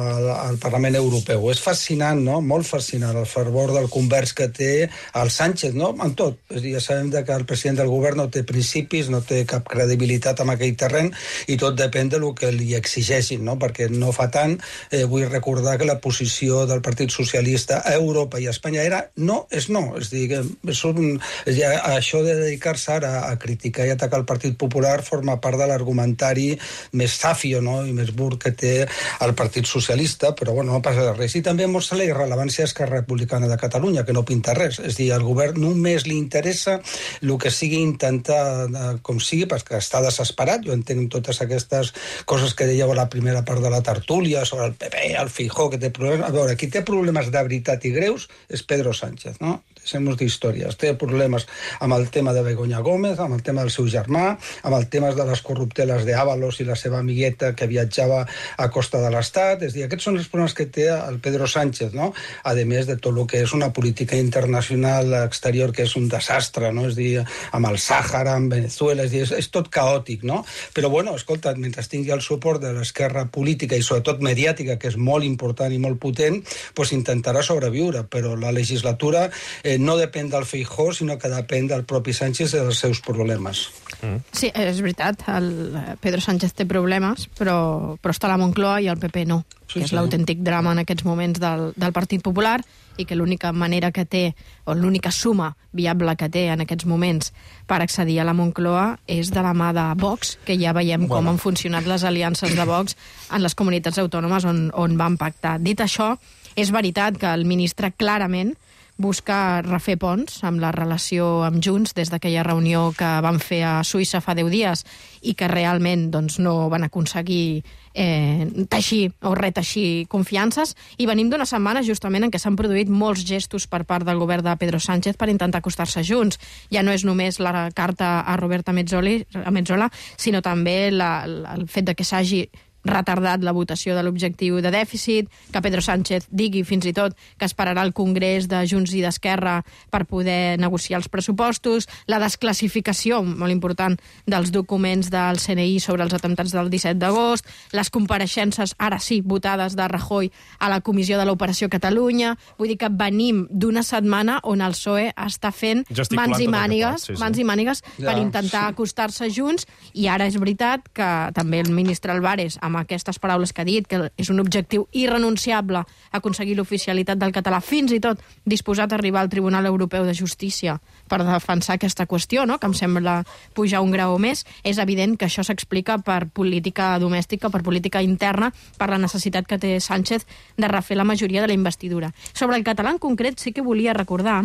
al Parlament Europeu, és fascinant, no? Molt fascinant, el fervor del convers que té el Sánchez, no? En tot. És a dir, ja sabem que el president del govern no té principi principis, no té cap credibilitat en aquell terreny i tot depèn del que li exigeixin, no? Perquè no fa tant, eh, vull recordar que la posició del Partit Socialista a Europa i a Espanya era no és no. És dir, que és un, és dir, això de dedicar-se ara a criticar i atacar el Partit Popular forma part de l'argumentari més safio, no? I més burg que té el Partit Socialista, però bueno, no passa res. I també mostra la irrellevància d'Esquerra Republicana de Catalunya, que no pinta res. És dir, al govern només li interessa el que sigui intentar, com sigui, perquè està desesperat. Jo entenc totes aquestes coses que dèieu a la primera part de la tertúlia sobre el P P, el Feijóo, que té problemes. A veure, qui té problemes de veritat i greus és Pedro Sánchez, no? Deixem-nos d'històries. Té problemes amb el tema de Begoña Gómez, amb el tema del seu germà, amb el tema de les corrupteles d'Ábalos i la seva amigueta que viatjava a costa de l'Estat. És a dir, aquests són els problemes que té el Pedro Sánchez, no? A més de tot el que és una política internacional exterior que és un desastre, no? És a dir, amb el Sàhara, amb Venezuela, és, dir, és, és tot caòtic, no? Però, bueno, escolta, mentre tingui el suport de l'esquerra política i sobretot mediàtica, que és molt important i molt potent, doncs intentarà sobreviure, però la legislatura eh, no depèn del Feijóo, sinó que depèn del propi Sánchez i dels seus problemes. Mm. Sí, és veritat, el Pedro Sánchez té problemes, però, però està la Moncloa i el P P no, sí, que és sí. l'autèntic drama en aquests moments del, del Partit Popular, i que l'única manera que té, o l'única suma viable que té en aquests moments per accedir a la Moncloa és de la mà de Vox, que ja veiem bueno. com han funcionat les aliances de Vox en les comunitats autònomes on, on van pactar. Dit això, és veritat que el ministre clarament busca refer ponts amb la relació amb Junts des d'aquella reunió que van fer a Suïssa fa deu dies i que realment doncs, no van aconseguir eh, teixir o reteixir confiances, i venim d'una setmana justament en què s'han produït molts gestos per part del govern de Pedro Sánchez per intentar acostar-se a Junts. Ja no és només la carta a Roberta Mezzoli, a Mezzola, sinó també la, la, el fet de que s'hagi retardat la votació de l'objectiu de dèficit, que Pedro Sánchez digui fins i tot que esperarà el Congrés de Junts i d'Esquerra per poder negociar els pressupostos, la desclassificació, molt important, dels documents del C N I sobre els atemptats del disset d'agost, les compareixences, ara sí, votades de Rajoy a la Comissió de l'Operació Catalunya. Vull dir que venim d'una setmana on el P S O E està fent mans i mànigues, sí, sí. mans i mànigues ja, per intentar sí. acostar-se a Junts, i ara és veritat que també el ministre Álvarez, amb aquestes paraules que ha dit, que és un objectiu irrenunciable aconseguir l'oficialitat del català, fins i tot disposat a arribar al Tribunal Europeu de Justícia per defensar aquesta qüestió, no? Que em sembla pujar un grau més. És evident que això s'explica per política domèstica, per política interna, per la necessitat que té Sánchez de refer la majoria de la investidura. Sobre el català en concret sí que volia recordar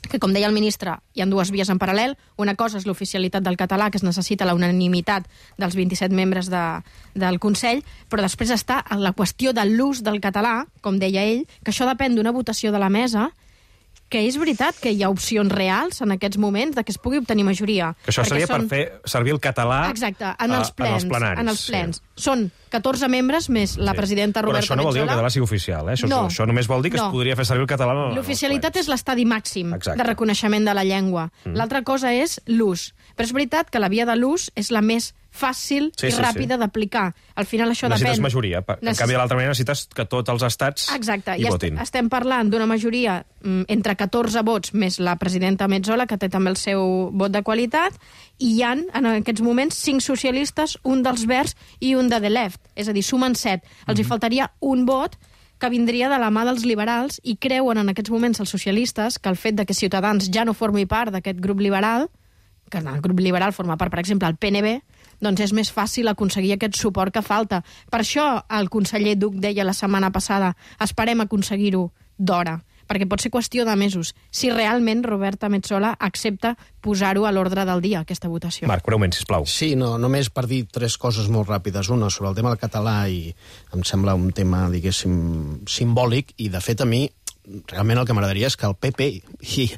que, com deia el ministre, hi ha dues vies en paral·lel. Una cosa és l'oficialitat del català, que es necessita la unanimitat dels vint-i-set membres de, del Consell, però després està la qüestió de l'ús del català, com deia ell, que això depèn d'una votació de la mesa, que és veritat que hi ha opcions reals en aquests moments de que es pugui obtenir majoria. Que això seria són... per fer servir el català Exacte, en els plens. En els plenaris. En els plens. Sí. Són catorze membres més la sí. presidenta Roberta Metsola. Però això no vol dir que el català sigui oficial, eh? Això, no. això només vol dir que no. es podria fer servir el català en els plens. L'oficialitat és l'estadi màxim Exacte. de reconeixement de la llengua. Mm. L'altra cosa és l'ús. Però és veritat que la via de l'ús és la més fàcil sí, i sí, ràpida sí. d'aplicar. Al final això necessites depèn... Necessites majoria. En Necess... canvi, de l'altra manera necessites que tots els estats Exacte. hi I votin. Est estem parlant d'una majoria mm, entre catorze vots més la presidenta Metsola, que té també el seu vot de qualitat, i hi ha, en aquests moments, cinc socialistes, un dels Verds i un de The Left. És a dir, sumen set. Els mm-hmm. hi faltaria un vot que vindria de la mà dels liberals, i creuen en aquests moments els socialistes que el fet de que Ciutadans ja no formi part d'aquest grup liberal, que el grup liberal forma part, per exemple, el P N B, doncs és més fàcil aconseguir aquest suport que falta. Per això el conseller Duch deia la setmana passada: esperem aconseguir-ho d'hora, perquè pot ser qüestió de mesos, si realment Roberta Metsola accepta posar-ho a l'ordre del dia, aquesta votació. Marc, breument, sisplau. Sí, no, només per dir tres coses molt ràpides. Una, sobre el tema del català, i em sembla un tema, diguéssim, simbòlic, i de fet a mi realment el que m'agradaria és que el P P i,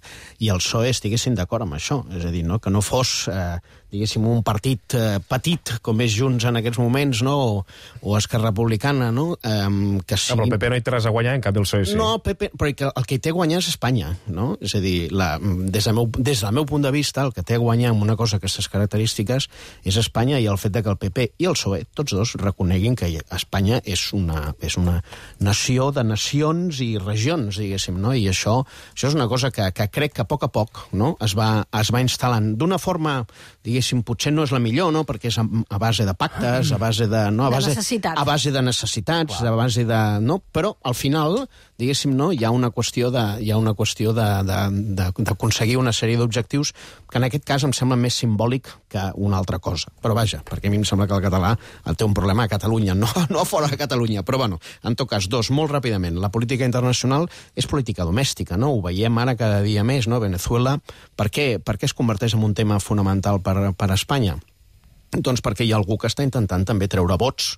i el P S O E estiguessin d'acord amb això. És a dir, no? Que no fos, eh, diguéssim, un partit eh, petit, com és Junts en aquests moments, no? o, o Esquerra Republicana, no? Eh, que sigui... No, però el P P no hi té res a guanyar, en canvi el P S O E sí. No, P P, però el que hi té a guanyar és Espanya, no? És a dir, la, des, del meu, des del meu punt de vista, el que té a guanyar amb una cosa d'aquestes característiques és Espanya, i el fet de que el P P i el P S O E, tots dos, reconeguin que Espanya és una, és una nació de nacions i regions. diguéssim, no? I això, això és una cosa que, que crec que a poc a poc, no? es, va, es va instal·lant d'una forma, diguéssim, potser no és la millor, no? Perquè és a, a base de pactes, a base de... No? A base, de necessitats. A base de necessitats, a base de... No? Però, al final, diguéssim, no? hi ha una qüestió de, hi ha una qüestió de, de, de, d'aconseguir una sèrie d'objectius que en aquest cas em sembla més simbòlic que una altra cosa. Però vaja, perquè a mi em sembla que el català té un problema a Catalunya, no, no fora de Catalunya. Però, bueno, en tot cas, dos, molt ràpidament. La política internacional és política domèstica, no? Ho veiem ara cada dia més, no? Venezuela, per què, per què es converteix en un tema fonamental per, per Espanya? Doncs perquè hi ha algú que està intentant també treure vots,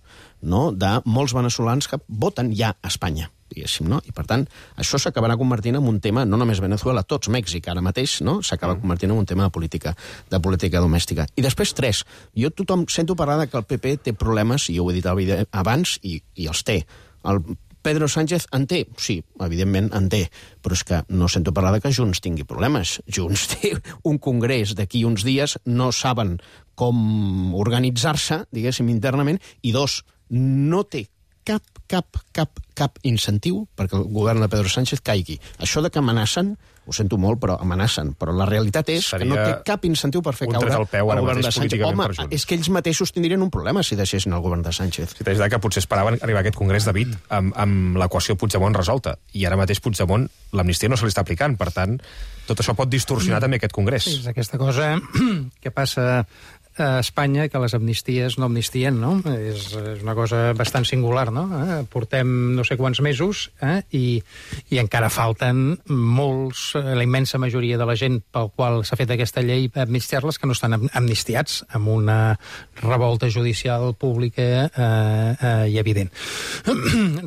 no?, de molts veneçolans que voten ja a Espanya, diguéssim, no? I, per tant, això s'acabarà convertint en un tema, no només Venezuela, tots Mèxic ara mateix, no?, s'acaba convertint en un tema de política, de política domèstica. I després, tres, jo tothom sento parlar que el P P té problemes, i jo ho he dit abans, i, i els té. El Pedro Sánchez en té? Sí, evidentment en té, però és que no sento parlar de que Junts tingui problemes. Junts té un congrés d'aquí uns dies, no saben com organitzar-se, diguéssim, internament, i dos, no té cap, cap, cap, cap incentiu perquè el govern de Pedro Sánchez caigui. Això de que amenacen, ho sento molt, però amenacen. Però la realitat és Seria que no té cap incentiu per fer caure el govern de Sánchez. Home, és que ells mateixos tindrien un problema si deixessin el govern de Sánchez. Sí, t'haig de que potser esperaven arribar a aquest congrés, David, amb, amb l'equació Puigdemont resolta. I ara mateix Puigdemont, l'amnistia no se li està aplicant. Per tant, tot això pot distorsionar també aquest congrés. Sí, és aquesta cosa que passa a Espanya, que les amnisties no amnistien, no? És, és una cosa bastant singular, no? Eh? Portem no sé quants mesos eh? I, i encara falten molts, la immensa majoria de la gent pel qual s'ha fet aquesta llei per amnistiar-les que no estan amnistiats, amb una revolta judicial pública eh, eh, i evident.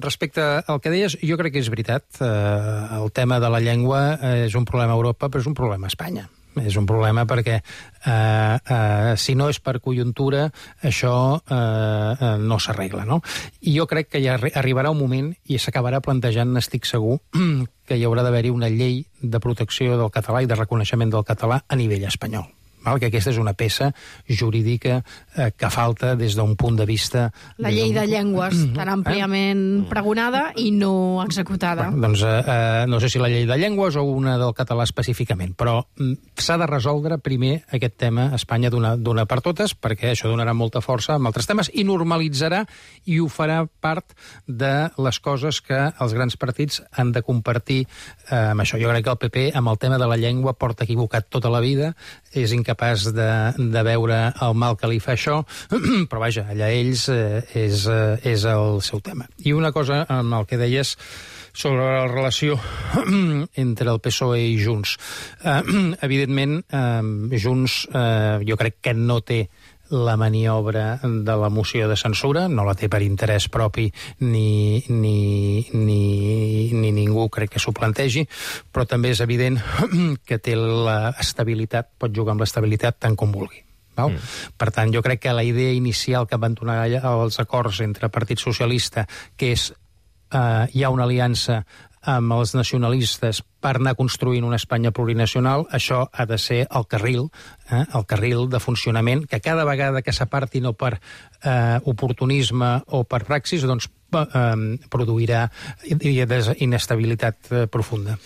Respecte al que deies, jo crec que és veritat. Eh, el tema de la llengua és un problema a Europa, però és un problema a Espanya. És un problema perquè eh, eh, si no és per conjuntura això eh, eh, no s'arregla, no? I jo crec que ja arribarà un moment i s'acabarà plantejant, n'estic segur, que hi haurà d'haver-hi una llei de protecció del català i de reconeixement del català a nivell espanyol. Val? Que aquesta és una peça jurídica eh, que falta des d'un punt de vista... La llei de llengües, tan àmpliament eh? pregonada i no executada. Bueno, doncs eh, eh, no sé si la llei de llengües o una del català específicament, però mm, s'ha de resoldre primer aquest tema a Espanya d'una per totes, perquè això donarà molta força amb altres temes i normalitzarà i ho farà part de les coses que els grans partits han de compartir eh, amb això. Jo crec que el P P, amb el tema de la llengua, porta equivocat tota la vida, és incapaç capaç de, de veure el mal que li fa això, però vaja, allà ells eh, és, eh, és el seu tema. I una cosa amb el que deies sobre la relació entre el P S O E i Junts. Eh, evidentment, eh, Junts eh, jo crec que no té la maniobra de la moció de censura, no la té per interès propi ni, ni, ni, ni ningú crec que s'ho plantegi, però també és evident que té l'estabilitat, pot jugar amb l'estabilitat tant com vulgui. Val? Mm. Per tant, jo crec que la idea inicial que van donar els acords entre Partit Socialista, que és eh, hi ha una aliança amb els nacionalistes per anar construint una Espanya plurinacional, això ha de ser el carril, eh, el carril de funcionament, que cada vegada que s'aparti no per eh, oportunisme o per praxis, doncs eh, produirà inestabilitat eh, profunda.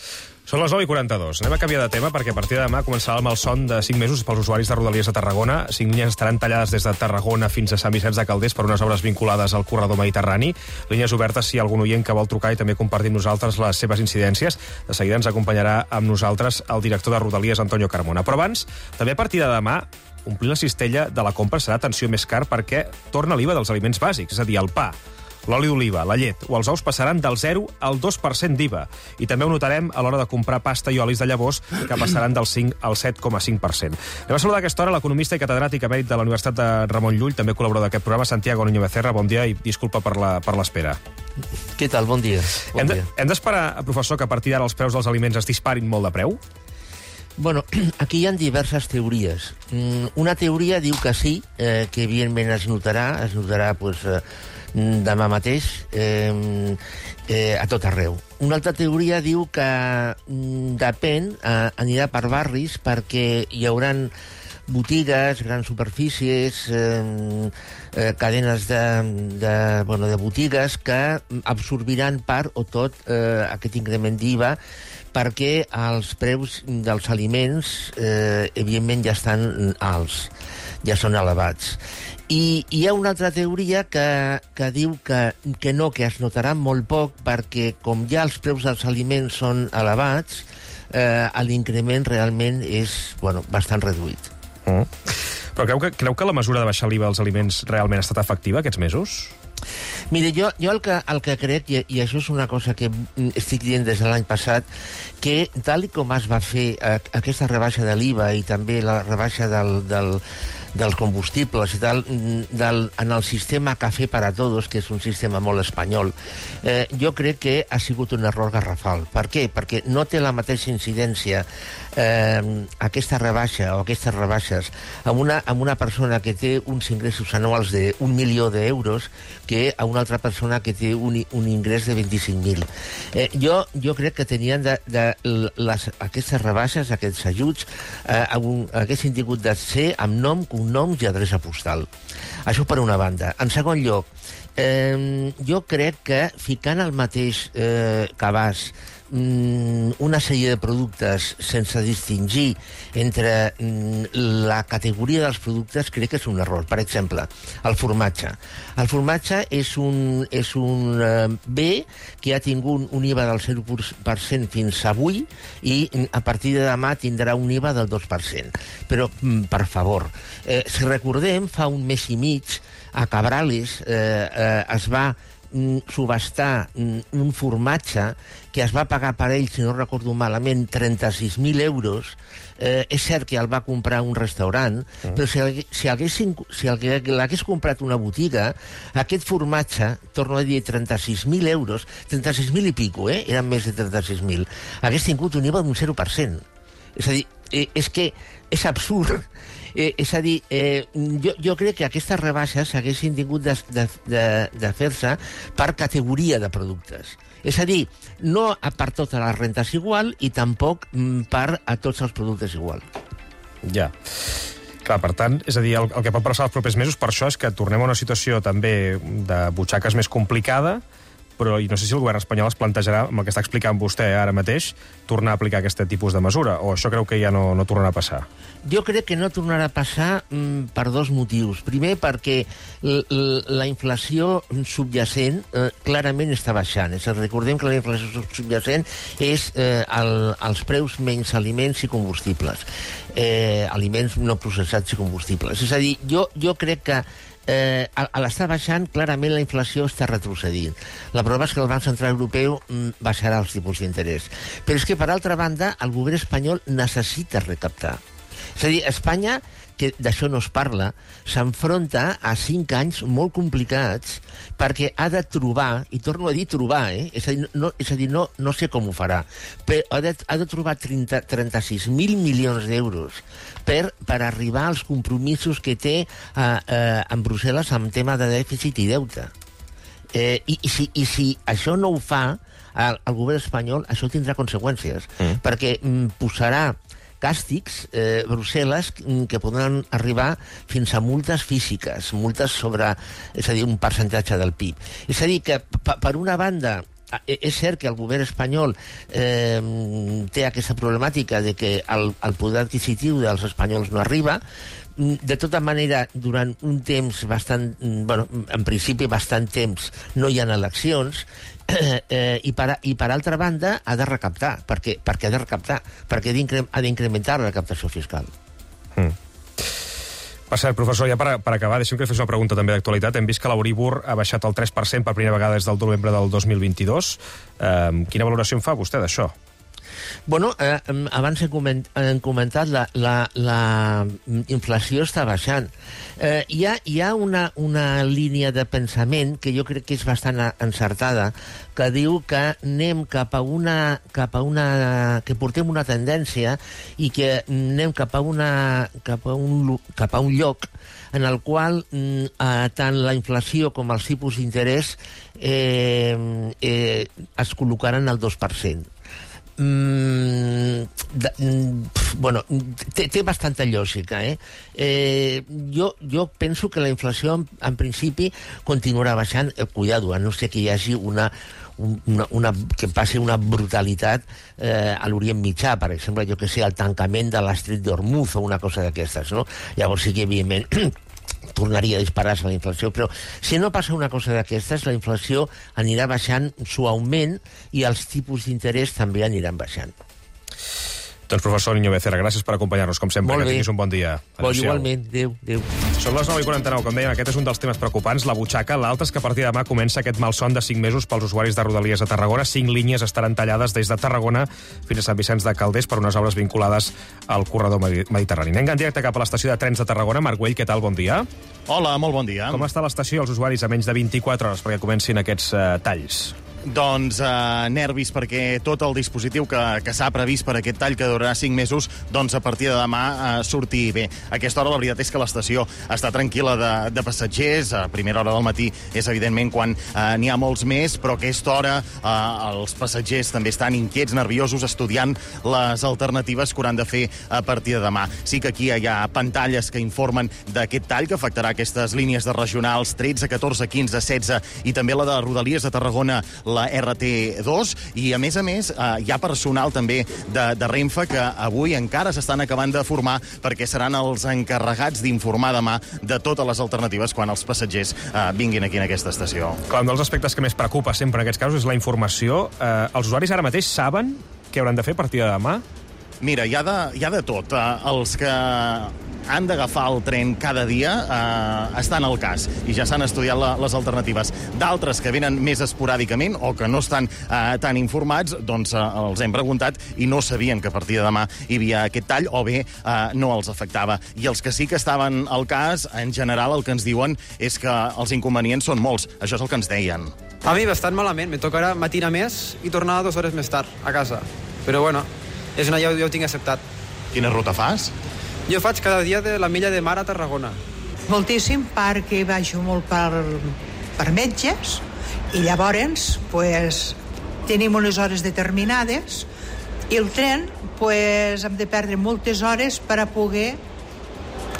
Són les nou i quaranta-dos. Anem a canviar de tema perquè a partir de demà començarà el malson de cinc mesos pels usuaris de Rodalies de Tarragona. Cinc línies estaran tallades des de Tarragona fins a Sant Vicenç de Calders per unes obres vinculades al corredor mediterrani. Línies obertes si hi ha algun oient que vol trucar i també compartir amb nosaltres les seves incidències. De seguida ens acompanyarà amb nosaltres el director de Rodalies, Antonio Carmona. Però abans, també a partir de demà, omplir la cistella de la compra serà atenció més car perquè torna l'I V A dels aliments bàsics, és a dir, el pa, l'oli d'oliva, la llet o els ous passaran del zero al dos per cent d'I V A. I també ho notarem a l'hora de comprar pasta i olis de llavors, que passaran del cinc al set coma cinc per cent. Anem a saludar a aquesta hora l'economista i catedràtic emèrit de la Universitat de Ramon Llull, també col·laborador d'aquest programa, Santiago Niño Becerra. Bon dia i disculpa per la, per l'espera. Què tal? Bon dia. Bon hem, de, hem d'esperar, professor, que a partir d'ara els preus dels aliments es disparin molt de preu? Bueno, aquí hi ha diverses teories. Una teoria diu que sí, eh, que evidentment es notarà, es notarà pues, eh, demà mateix eh, eh, a tot arreu. Una altra teoria diu que mm, depèn, eh, anirà per barris perquè hi hauran botigues, grans superfícies, eh, eh, cadenes de, de, bueno, de botigues que absorbiran part o tot eh, aquest increment d'I V A, perquè els preus dels aliments, eh, evidentment, ja estan alts, ja són elevats. I hi ha una altra teoria que, que diu que, que no, que es notarà molt poc, perquè com ja els preus dels aliments són elevats, eh, l'increment realment és, bueno, bastant reduït. Mm. Però creu que, creu que la mesura de baixar l'I V A als aliments realment ha estat efectiva aquests mesos? Mire, jo, jo el, que, el que crec, i, i això és una cosa que estic dient des de l'any passat, que tal com es va fer eh, aquesta rebaixa de l'I V A i també la rebaixa del, del, dels combustibles i tal, del, en el sistema Café para Todos, que és un sistema molt espanyol, eh, jo crec que ha sigut un error garrafal. Per què? Perquè no té la mateixa incidència eh, aquesta rebaixa o aquestes rebaixes amb una, amb una persona que té uns ingressos anuals d'un milió d'euros que a una altra persona que té un, un ingrés de vint-i-cinc mil. Eh, jo, jo crec que tenien de, de les, aquestes rebaixes, aquests ajuts, eh, un, haguessin tingut de ser amb nom, cognoms i adreça postal. Això per una banda. En segon lloc, eh, jo crec que ficant el mateix eh, cabàs una sèrie de productes sense distingir entre la categoria dels productes, crec que és un error. Per exemple, el formatge. El formatge és un, és un bé que ha tingut un I V A del zero per cent fins avui i a partir de demà tindrà un I V A del dos per cent. Però, per favor, eh, si recordem, fa un mes i mig a Cabrales eh, eh, es va subhastar un formatge que es va pagar per ell, si no recordo malament, trenta-sis mil euros. Eh, és cert que el va comprar un restaurant, mm. però si, si, haguessin, si l'hagués comprat una botiga, aquest formatge, torno a dir, trenta-sis mil euros, trenta-sis mil i pico, eh? Eren més de trenta-sis mil, hagués tingut un I V A d'un zero per cent. És a dir, eh, és que és absurd. Eh, és a dir, eh, jo, jo crec que aquestes rebaixes haguessin tingut de, de, de, de fer-se per categoria de productes. És a dir, no per totes les rentes igual i tampoc per a tots els productes igual. Ja. Clar, per tant, és a dir, el, el que pot passar els propers mesos per això és que tornem a una situació també de butxaques més complicada, però i no sé si el govern espanyol es plantejarà, amb el que està explicant vostè ara mateix, tornar a aplicar aquest tipus de mesura, o això creu que ja no, no tornarà a passar? Jo crec que no tornarà a passar mm, per dos motius. Primer, perquè l, l, la inflació subjacent eh, clarament està baixant. És a dir, recordem que la inflació subjacent és eh, el, els preus menys aliments i combustibles. Eh, aliments no processats i combustibles. És a dir, jo, jo crec que Eh, a l'estar baixant, clarament la inflació està retrocedint. La prova és que el Banc Central Europeu mm, baixarà els tipus d'interès. Però és que, per altra banda, el govern espanyol necessita recaptar. És a dir, Espanya, que d'això no es parla, s'enfronta a cinc anys molt complicats perquè ha de trobar, i torno a dir trobar, eh? és a dir, no, és a dir no, no sé com ho farà, però ha de, ha de trobar trenta-sis mil milions d'euros per, per arribar als compromisos que té eh, eh, en Brussel·les en tema de dèficit i deute. Eh, i, i, si, I si això no ho fa, el, el govern espanyol, això tindrà conseqüències, mm. perquè mm, posarà càstigs, eh, Brussel·les, que podran arribar fins a multes físiques, multes sobre, és a dir, un percentatge del P I B. És a dir, que per una banda, és cert que el govern espanyol eh, té aquesta problemàtica de que el, el poder adquisitiu dels espanyols no arriba. De tota manera, durant un temps bastant, bueno, en principi bastant temps, no hi ha eleccions, eh, eh, i, per, i per altra banda ha de recaptar, perquè, perquè ha de recaptar, perquè ha d'incrementar la recaptació fiscal. Mm. Per cert, professor, ja per, per acabar, deixem que li fes una pregunta també d'actualitat. Hem vist que l'Euríbor ha baixat el tres per cent per primera vegada des del novembre del dos mil vint-i-dos. Eh, quina valoració en fa vostè d'això? Bueno, eh, abans hem, coment, hem comentat la, la, la inflació està baixant. Eh, hi ha, hi ha una, una línia de pensament que jo crec que és bastant encertada, que diu que anem cap a una, cap a una que portem una tendència i que anem cap a, una, cap a, un, cap a un lloc en el qual eh, tant la inflació com els tipus d'interès eh, eh, es col·locaran al dos per cent. Mm, de, mm, bueno, té, té bastanta lògica, eh? eh jo, jo penso que la inflació, en, en principi, continuarà baixant. Eh, cuidado, a no ser que hi hagi una, una, una que passi una brutalitat eh, a l'Orient Mitjà, per exemple, jo que sé, el tancament de l'estret d'Hormuz o una cosa d'aquestes, no? Llavors sí que, evidentment, tornaria a disparar-se la inflació, però si no passa una cosa d'aquestes, la inflació anirà baixant suaument i els tipus d'interès també aniran baixant. Doncs professor Niño Becerra, gràcies per acompanyar-nos, com sempre. Molt que bé. tinguis un bon dia. Bon, igualment, adéu, adéu. Són les nou i quaranta-nou, com dèiem, aquest és un dels temes preocupants, la butxaca. L'altre és que a partir de demà comença aquest malson de cinc mesos pels usuaris de Rodalies a Tarragona. Cinc línies estaran tallades des de Tarragona fins a Sant Vicenç de Calders per unes obres vinculades al corredor mediterrani. Anem en directe cap a l'estació de trens de Tarragona. Marc Güell, què tal? Bon dia. Hola, molt bon dia. Com està l'estació i els usuaris a menys de vint-i-quatre hores perquè comencin aquests uh, talls? Doncs eh, nervis, perquè tot el dispositiu que, que s'ha previst per aquest tall, que durarà cinc mesos, doncs a partir de demà eh, surti bé. A aquesta hora la veritat és que l'estació està tranquil·la de, de passatgers. A primera hora del matí és evidentment quan eh, n'hi ha molts més, però a aquesta hora eh, els passatgers també estan inquiets, nerviosos, estudiant les alternatives que hauran de fer a partir de demà. Sí que aquí hi ha pantalles que informen d'aquest tall que afectarà aquestes línies de regionals tretze, catorze, quinze, setze i també la de Rodalies de Tarragona, la R T dos, i a més a més eh, hi ha personal també de, de Renfe que avui encara s'estan acabant de formar perquè seran els encarregats d'informar demà de totes les alternatives quan els passatgers eh, vinguin aquí en aquesta estació. Clar, un dels aspectes que més preocupa sempre en aquests casos és la informació. Eh, els usuaris ara mateix saben què hauran de fer a partir de demà? Mira, hi ha de, hi ha de tot. Eh, els que han d'agafar el tren cada dia eh, estan al cas i ja s'han estudiat la, les alternatives. D'altres que venen més esporàdicament o que no estan eh, tan informats, doncs eh, els hem preguntat i no sabien que a partir de demà hi havia aquest tall o bé eh, no els afectava. I els que sí que estaven al cas, en general el que ens diuen és que els inconvenients són molts. Això és el que ens deien. A mi bastant malament. Me tocarà matinar més i tornar dues hores més tard a casa. Però bueno, és una ja, ja ho tinc acceptat. Quina ruta fas? Jo faig cada dia de la milla de mar a Tarragona. Moltíssim, perquè baixo molt per, per metges i llavors pues, tenim unes hores determinades i el tren pues, hem de perdre moltes hores per a poder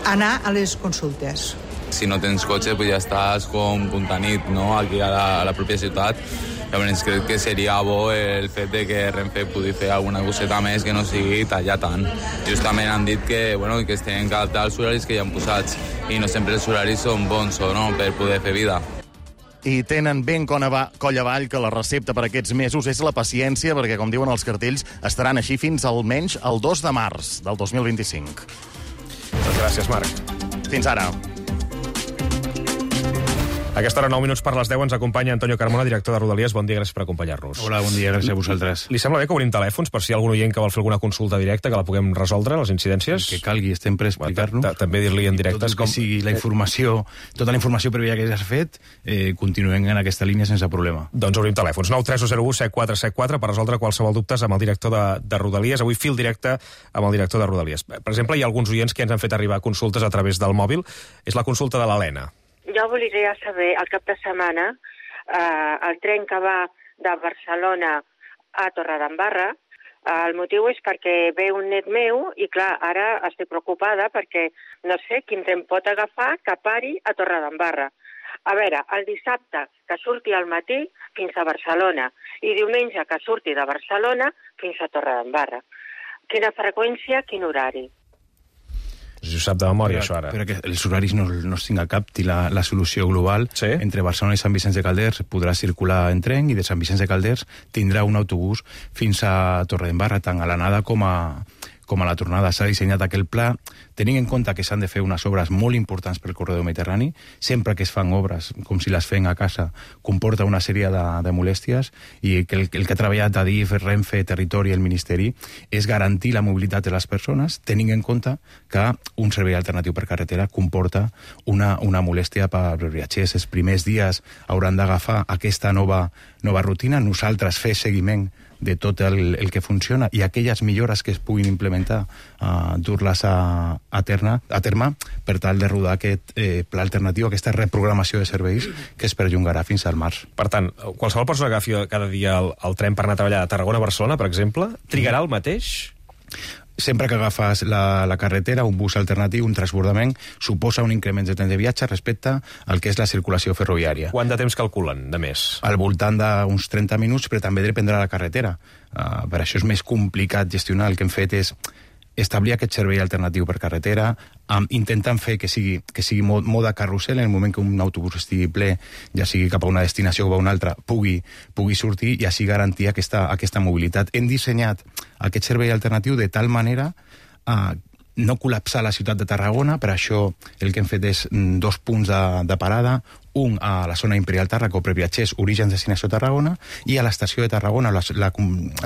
anar a les consultes. Si no tens cotxe, pues ja estàs com punta nit, no?, aquí a la, a la pròpia ciutat. Llavors crec que seria bo el fet de que Renfe pugui fer alguna coseta més que no sigui tallar tant. Justament han dit que, bueno, que es tenen que adaptar als horaris que hi han posats i no sempre els horaris són bons o no per poder fer vida. I tenen ben coll avall que la recepta per aquests mesos és la paciència, perquè, com diuen els cartells, estaran així fins almenys el dos de març del dos mil vint-i-cinc. Doncs gràcies, Marc. Fins ara. A aquesta hora, nou minuts per les deu, ens acompanya Antonio Carmona, director de Rodalies. Bon dia, gràcies per acompanyar-nos. Hola, bon dia, gràcies a vosaltres. Li sembla bé que obrim telèfons per si hi ha algun oient que vol fer alguna consulta directa, que la puguem resoldre, les incidències? Que calgui, estem per explicar-nos. També dir-li en directe... Tot el que sigui la informació, tota la informació prèvia que ja s'ha fet, eh, continuem en aquesta línia sense problema. Doncs obrim telèfons. nou tres zero u set quatre set quatre per resoldre qualsevol dubtes amb el director de, de Rodalies. Avui fil directe amb el director de Rodalies. Per exemple, hi ha alguns oients que ens han fet arribar consultes a través del mòbil. És la consulta de l'Helena. Jo volia saber, al cap de setmana, eh, el tren que va de Barcelona a Torredembarra, eh, el motiu és perquè ve un net meu i, clar, ara estic preocupada perquè no sé quin tren pot agafar que pari a Torredembarra. A veure, el dissabte que surti al matí fins a Barcelona i diumenge que surti de Barcelona fins a Torredembarra. Quina freqüència, quin horari? Si ho sap de memòria, però, això ara. Però que els horaris no, no es tinga cap, i la, la solució global, sí? Entre Barcelona i Sant Vicenç de Calders podrà circular en tren i de Sant Vicenç de Calders tindrà un autobús fins a Torredembarra, tant a l'anada com a, com a la tornada. S'ha dissenyat aquell pla tenint en compte que s'han de fer unes obres molt importants pel corredor mediterrani. Sempre que es fan obres, com si les fem a casa, comporta una sèrie de, de molèsties, i que el, el que ha treballat Adif, Renfe, Territori i el Ministeri és garantir la mobilitat de les persones, tenint en compte que un servei alternatiu per carretera comporta una, una molèstia per als viatgers. Els primers dies hauran d'agafar aquesta nova, nova rutina, nosaltres fer seguiment de tot el, el que funciona i aquelles millores que es puguin implementar, uh, dur-les a, a, terna, a terme per tal de rodar aquest eh, pla alternatiu, aquesta reprogramació de serveis que es perllongarà fins al març. Per tant, qualsevol persona que agafi cada dia el, el tren per anar a treballar a Tarragona a Barcelona, per exemple, trigarà el mateix? Sempre que agafes la, la carretera, un bus alternatiu, un transbordament, suposa un increment de temps de viatge respecte al que és la circulació ferroviària. Quant de temps calculen, de més? Al voltant d'uns trenta minuts, però també dependrà de la carretera. Uh, per això és més complicat gestionar. El que hem fet és establir aquest servei alternatiu per carretera, um, intentant fer que sigui, que sigui mod, moda carrusel, en el moment que un autobús estigui ple, ja sigui cap a una destinació o a una altra, pugui, pugui sortir i així garantir aquesta, aquesta mobilitat. Hem dissenyat aquest servei alternatiu de tal manera uh, no col·lapsar la ciutat de Tarragona, per això el que hem fet és dos punts de, de parada, un a la zona Imperial Tàrraco per viatgers origen destinació Tarragona i a l'estació de Tarragona la, la,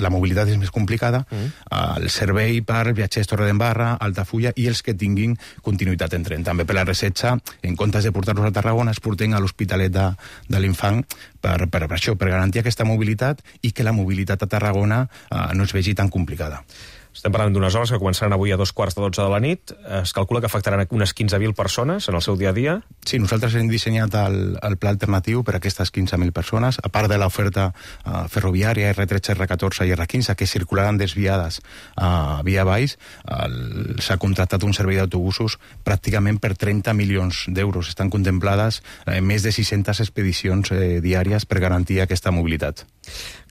la mobilitat és més complicada, mm. el servei per viatgers Torredembarra, Altafulla i els que tinguin continuïtat en tren. També per la resetxa, en comptes de portar-los a Tarragona, es porten a l'Hospitalet de, de l'Infant per, per, per això, per garantir aquesta mobilitat i que la mobilitat a Tarragona eh, no es vegi tan complicada. Estem parlant d'unes hores que començaran avui a dos quarts de dotze de la nit. Es calcula que afectaran unes quinze mil persones en el seu dia a dia. Sí, nosaltres hem dissenyat el, el pla alternatiu per a aquestes quinze mil persones, a part de l'oferta uh, ferroviària erre tretze, erre catorze i erre quinze, que circularan desviades uh, via baix. Uh, s'ha contractat un servei d'autobusos pràcticament per trenta milions d'euros. Estan contemplades uh, més de sis-centes expedicions eh, diàries per garantir aquesta mobilitat.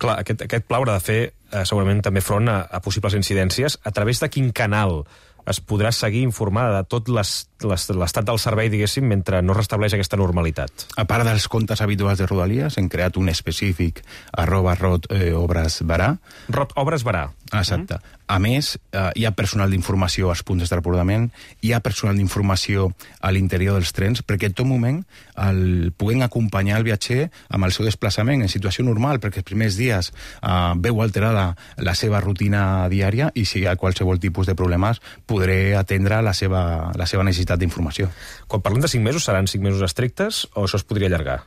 Clar, aquest, aquest pla haurà de fer eh, segurament també front a, a possibles incidències. A través de quin canal es podrà seguir informada de tot l'estat del servei, diguéssim, mentre no restableix aquesta normalitat? A part dels comptes habituals de Rodalies, hem creat un específic arroba rot eh, obres barà. Rot obres barà. Exacte. Mm-hmm. A més, eh, hi ha personal d'informació als punts d'abordament, hi ha personal d'informació a l'interior dels trens, perquè en tot moment el, puguem acompanyar el viatger amb el seu desplaçament en situació normal, perquè els primers dies eh, veu alterada la seva rutina diària i si hi ha qualsevol tipus de problemes podré atendre la seva, la seva necessitat d'informació. Quan parlem de cinc mesos, seran cinc mesos estrictes o això es podria allargar?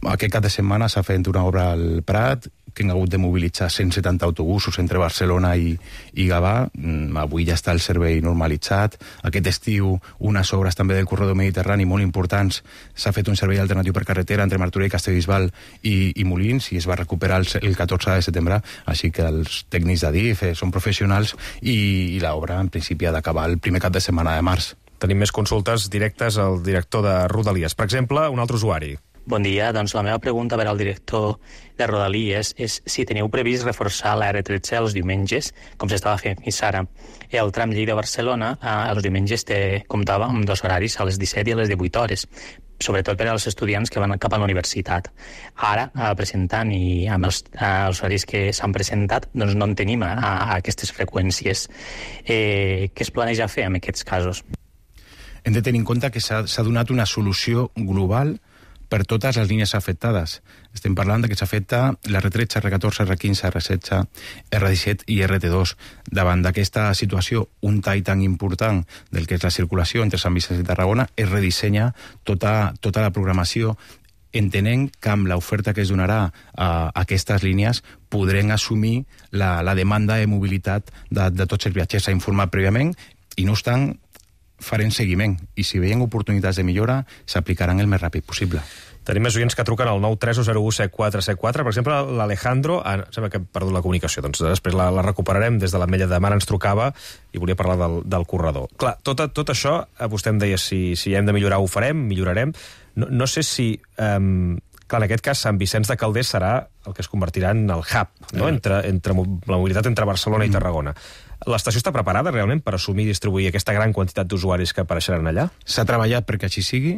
Aquest cap de setmana s'ha fet una obra al Prat, que hem hagut de mobilitzar cent setanta autobusos entre Barcelona i, i Gavà. Avui ja està el servei normalitzat. Aquest estiu, unes obres també del corredor mediterrani molt importants. S'ha fet un servei alternatiu per carretera entre Martorell, Castellbisbal i, i Molins, i es va recuperar el, el catorze de setembre. Així que els tècnics d'Adif eh, són professionals i, i l'obra, en principi, ha d'acabar el primer cap de setmana de març. Tenim més consultes directes al director de Rodalies. Per exemple, un altre usuari. Bon dia, doncs la meva pregunta per al director de Rodalies és si teniu previst reforçar la erre tretze els diumenges, com s'estava fent fins ara. El tram Lleida-Barcelona, els diumenges te comptava amb dos horaris, a les disset i a les divuit hores, sobretot per als estudiants que van cap a la universitat. Ara, presentant i amb els, els horaris que s'han presentat, doncs no en tenim a, a aquestes freqüències. Eh, què es planeja fer en aquests casos? Hem de tenir en compte que s'ha donat una solució global per totes les línies afectades. Estem parlant de que s'afecta l'erre tretze, erre catorze, erre quinze, erre setze, erre disset i erre te dos. Davant d'aquesta situació, un tall tan important del que és la circulació entre Sant Vicenç i Tarragona, es redissenya tota, tota la programació, entenent que amb l'oferta que es donarà a aquestes línies podrem assumir la, la demanda de mobilitat de, de tots els viatgers. S'ha informat prèviament i no obstant farem seguiment i si veiem oportunitats de millora s'aplicaran el més ràpid possible. Tenim més oients que truquen al nou tres zero u set quatre set quatre. Per exemple, l'Alejandro, ah, sembla que he perdut la comunicació, doncs després la, la recuperarem. Des de l'Ametlla de Mar ens trucava i volia parlar del, del corredor. Clar, tot, tot això, vostè em deia, si, si hem de millorar ho farem, millorarem. No, no sé si... Um, clar, en aquest cas, Sant Vicenç de Calders serà el que es convertirà en el hub, no? entre, entre la mobilitat entre Barcelona i Tarragona. L'estació està preparada realment per assumir i distribuir aquesta gran quantitat d'usuaris que apareixeran allà? S'ha treballat perquè així sigui.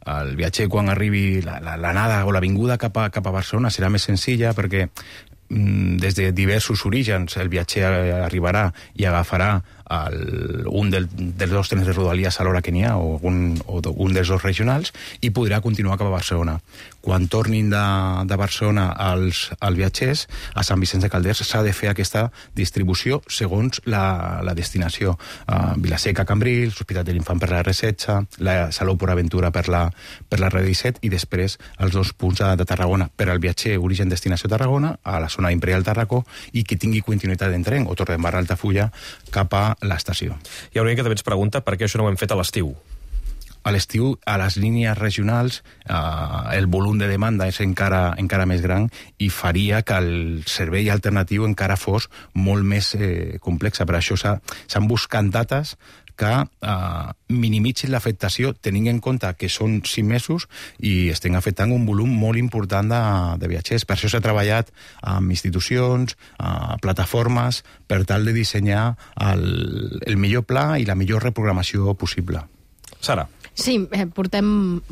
El viatger, quan arribi l'anada o la vinguda cap a, cap a Barcelona, serà més senzilla perquè mm, des de diversos orígens el viatger arribarà i agafarà el, un del, dels dos trens de Rodalies a l'hora que n'hi ha, o un, o un dels dos regionals, i podrà continuar cap a Barcelona. Quan tornin de, de Barcelona als, als viatgers, a Sant Vicenç de Calders s'ha de fer aquesta distribució segons la, la destinació. Uh, Vilaseca, Cambrils, l'Hospital de l'Infant per la erre setze, la Salou Port Aventura per la, per la erre disset, i després els dos punts de, de Tarragona. Per al viatger origen-destinació Tarragona, a la zona Imperial Tarracó, i que tingui continuïtat en tren, o Torredembarra Altafulla, cap a l'estació. Hi ha una que també ens pregunta per què això no ho hem fet a l'estiu. A l'estiu, a les línies regionals, eh, el volum de demanda és encara, encara més gran i faria que el servei alternatiu encara fos molt més eh, complex. Per això s'han buscat dates que eh, minimitzin l'afectació, tenint en compte que són cinc mesos i estem afectant un volum molt important de, de viatgers. Per això s'ha treballat amb institucions, eh, plataformes, per tal de dissenyar el, el millor pla i la millor reprogramació possible. Sara. Sí, eh, portem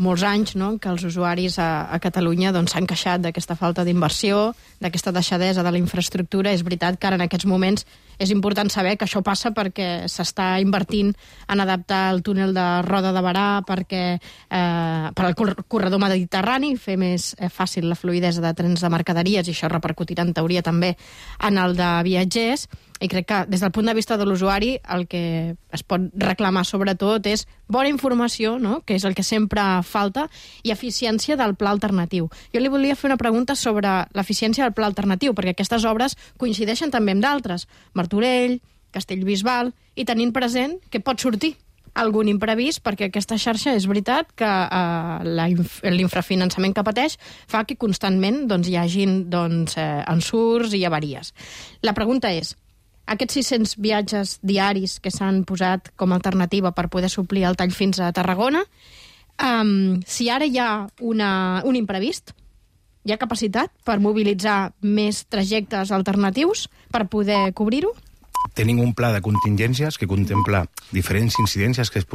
molts anys, no?, que els usuaris a, a Catalunya doncs, s'han queixat d'aquesta falta d'inversió, d'aquesta deixadesa de la infraestructura. És veritat que ara en aquests moments és important saber que això passa perquè s'està invertint en adaptar el túnel de Roda de Barà perquè, eh, per al corredor mediterrani, fer més eh, fàcil la fluïdesa de trens de mercaderies, i això repercutirà en teoria també en el de viatgers. I crec que des del punt de vista de l'usuari el que es pot reclamar sobretot és bona informació, no?, que és el que sempre falta, i eficiència del pla alternatiu. Jo li volia fer una pregunta sobre l'eficiència del pla alternatiu, perquè aquestes obres coincideixen també amb d'altres, Martorell, Castellbisbal, i tenint present que pot sortir algun imprevist, perquè aquesta xarxa és veritat que eh, l'infrafinançament que pateix fa que constantment doncs, hi hagin doncs, eh, ensurts i avaries. La pregunta és, aquests sis-cents viatges diaris que s'han posat com a alternativa per poder suplir el tall fins a Tarragona, um, si ara hi ha una, un imprevist, hi ha capacitat per mobilitzar més trajectes alternatius per poder cobrir-ho? Tenim un pla de contingències que contempla diferents incidències que es poden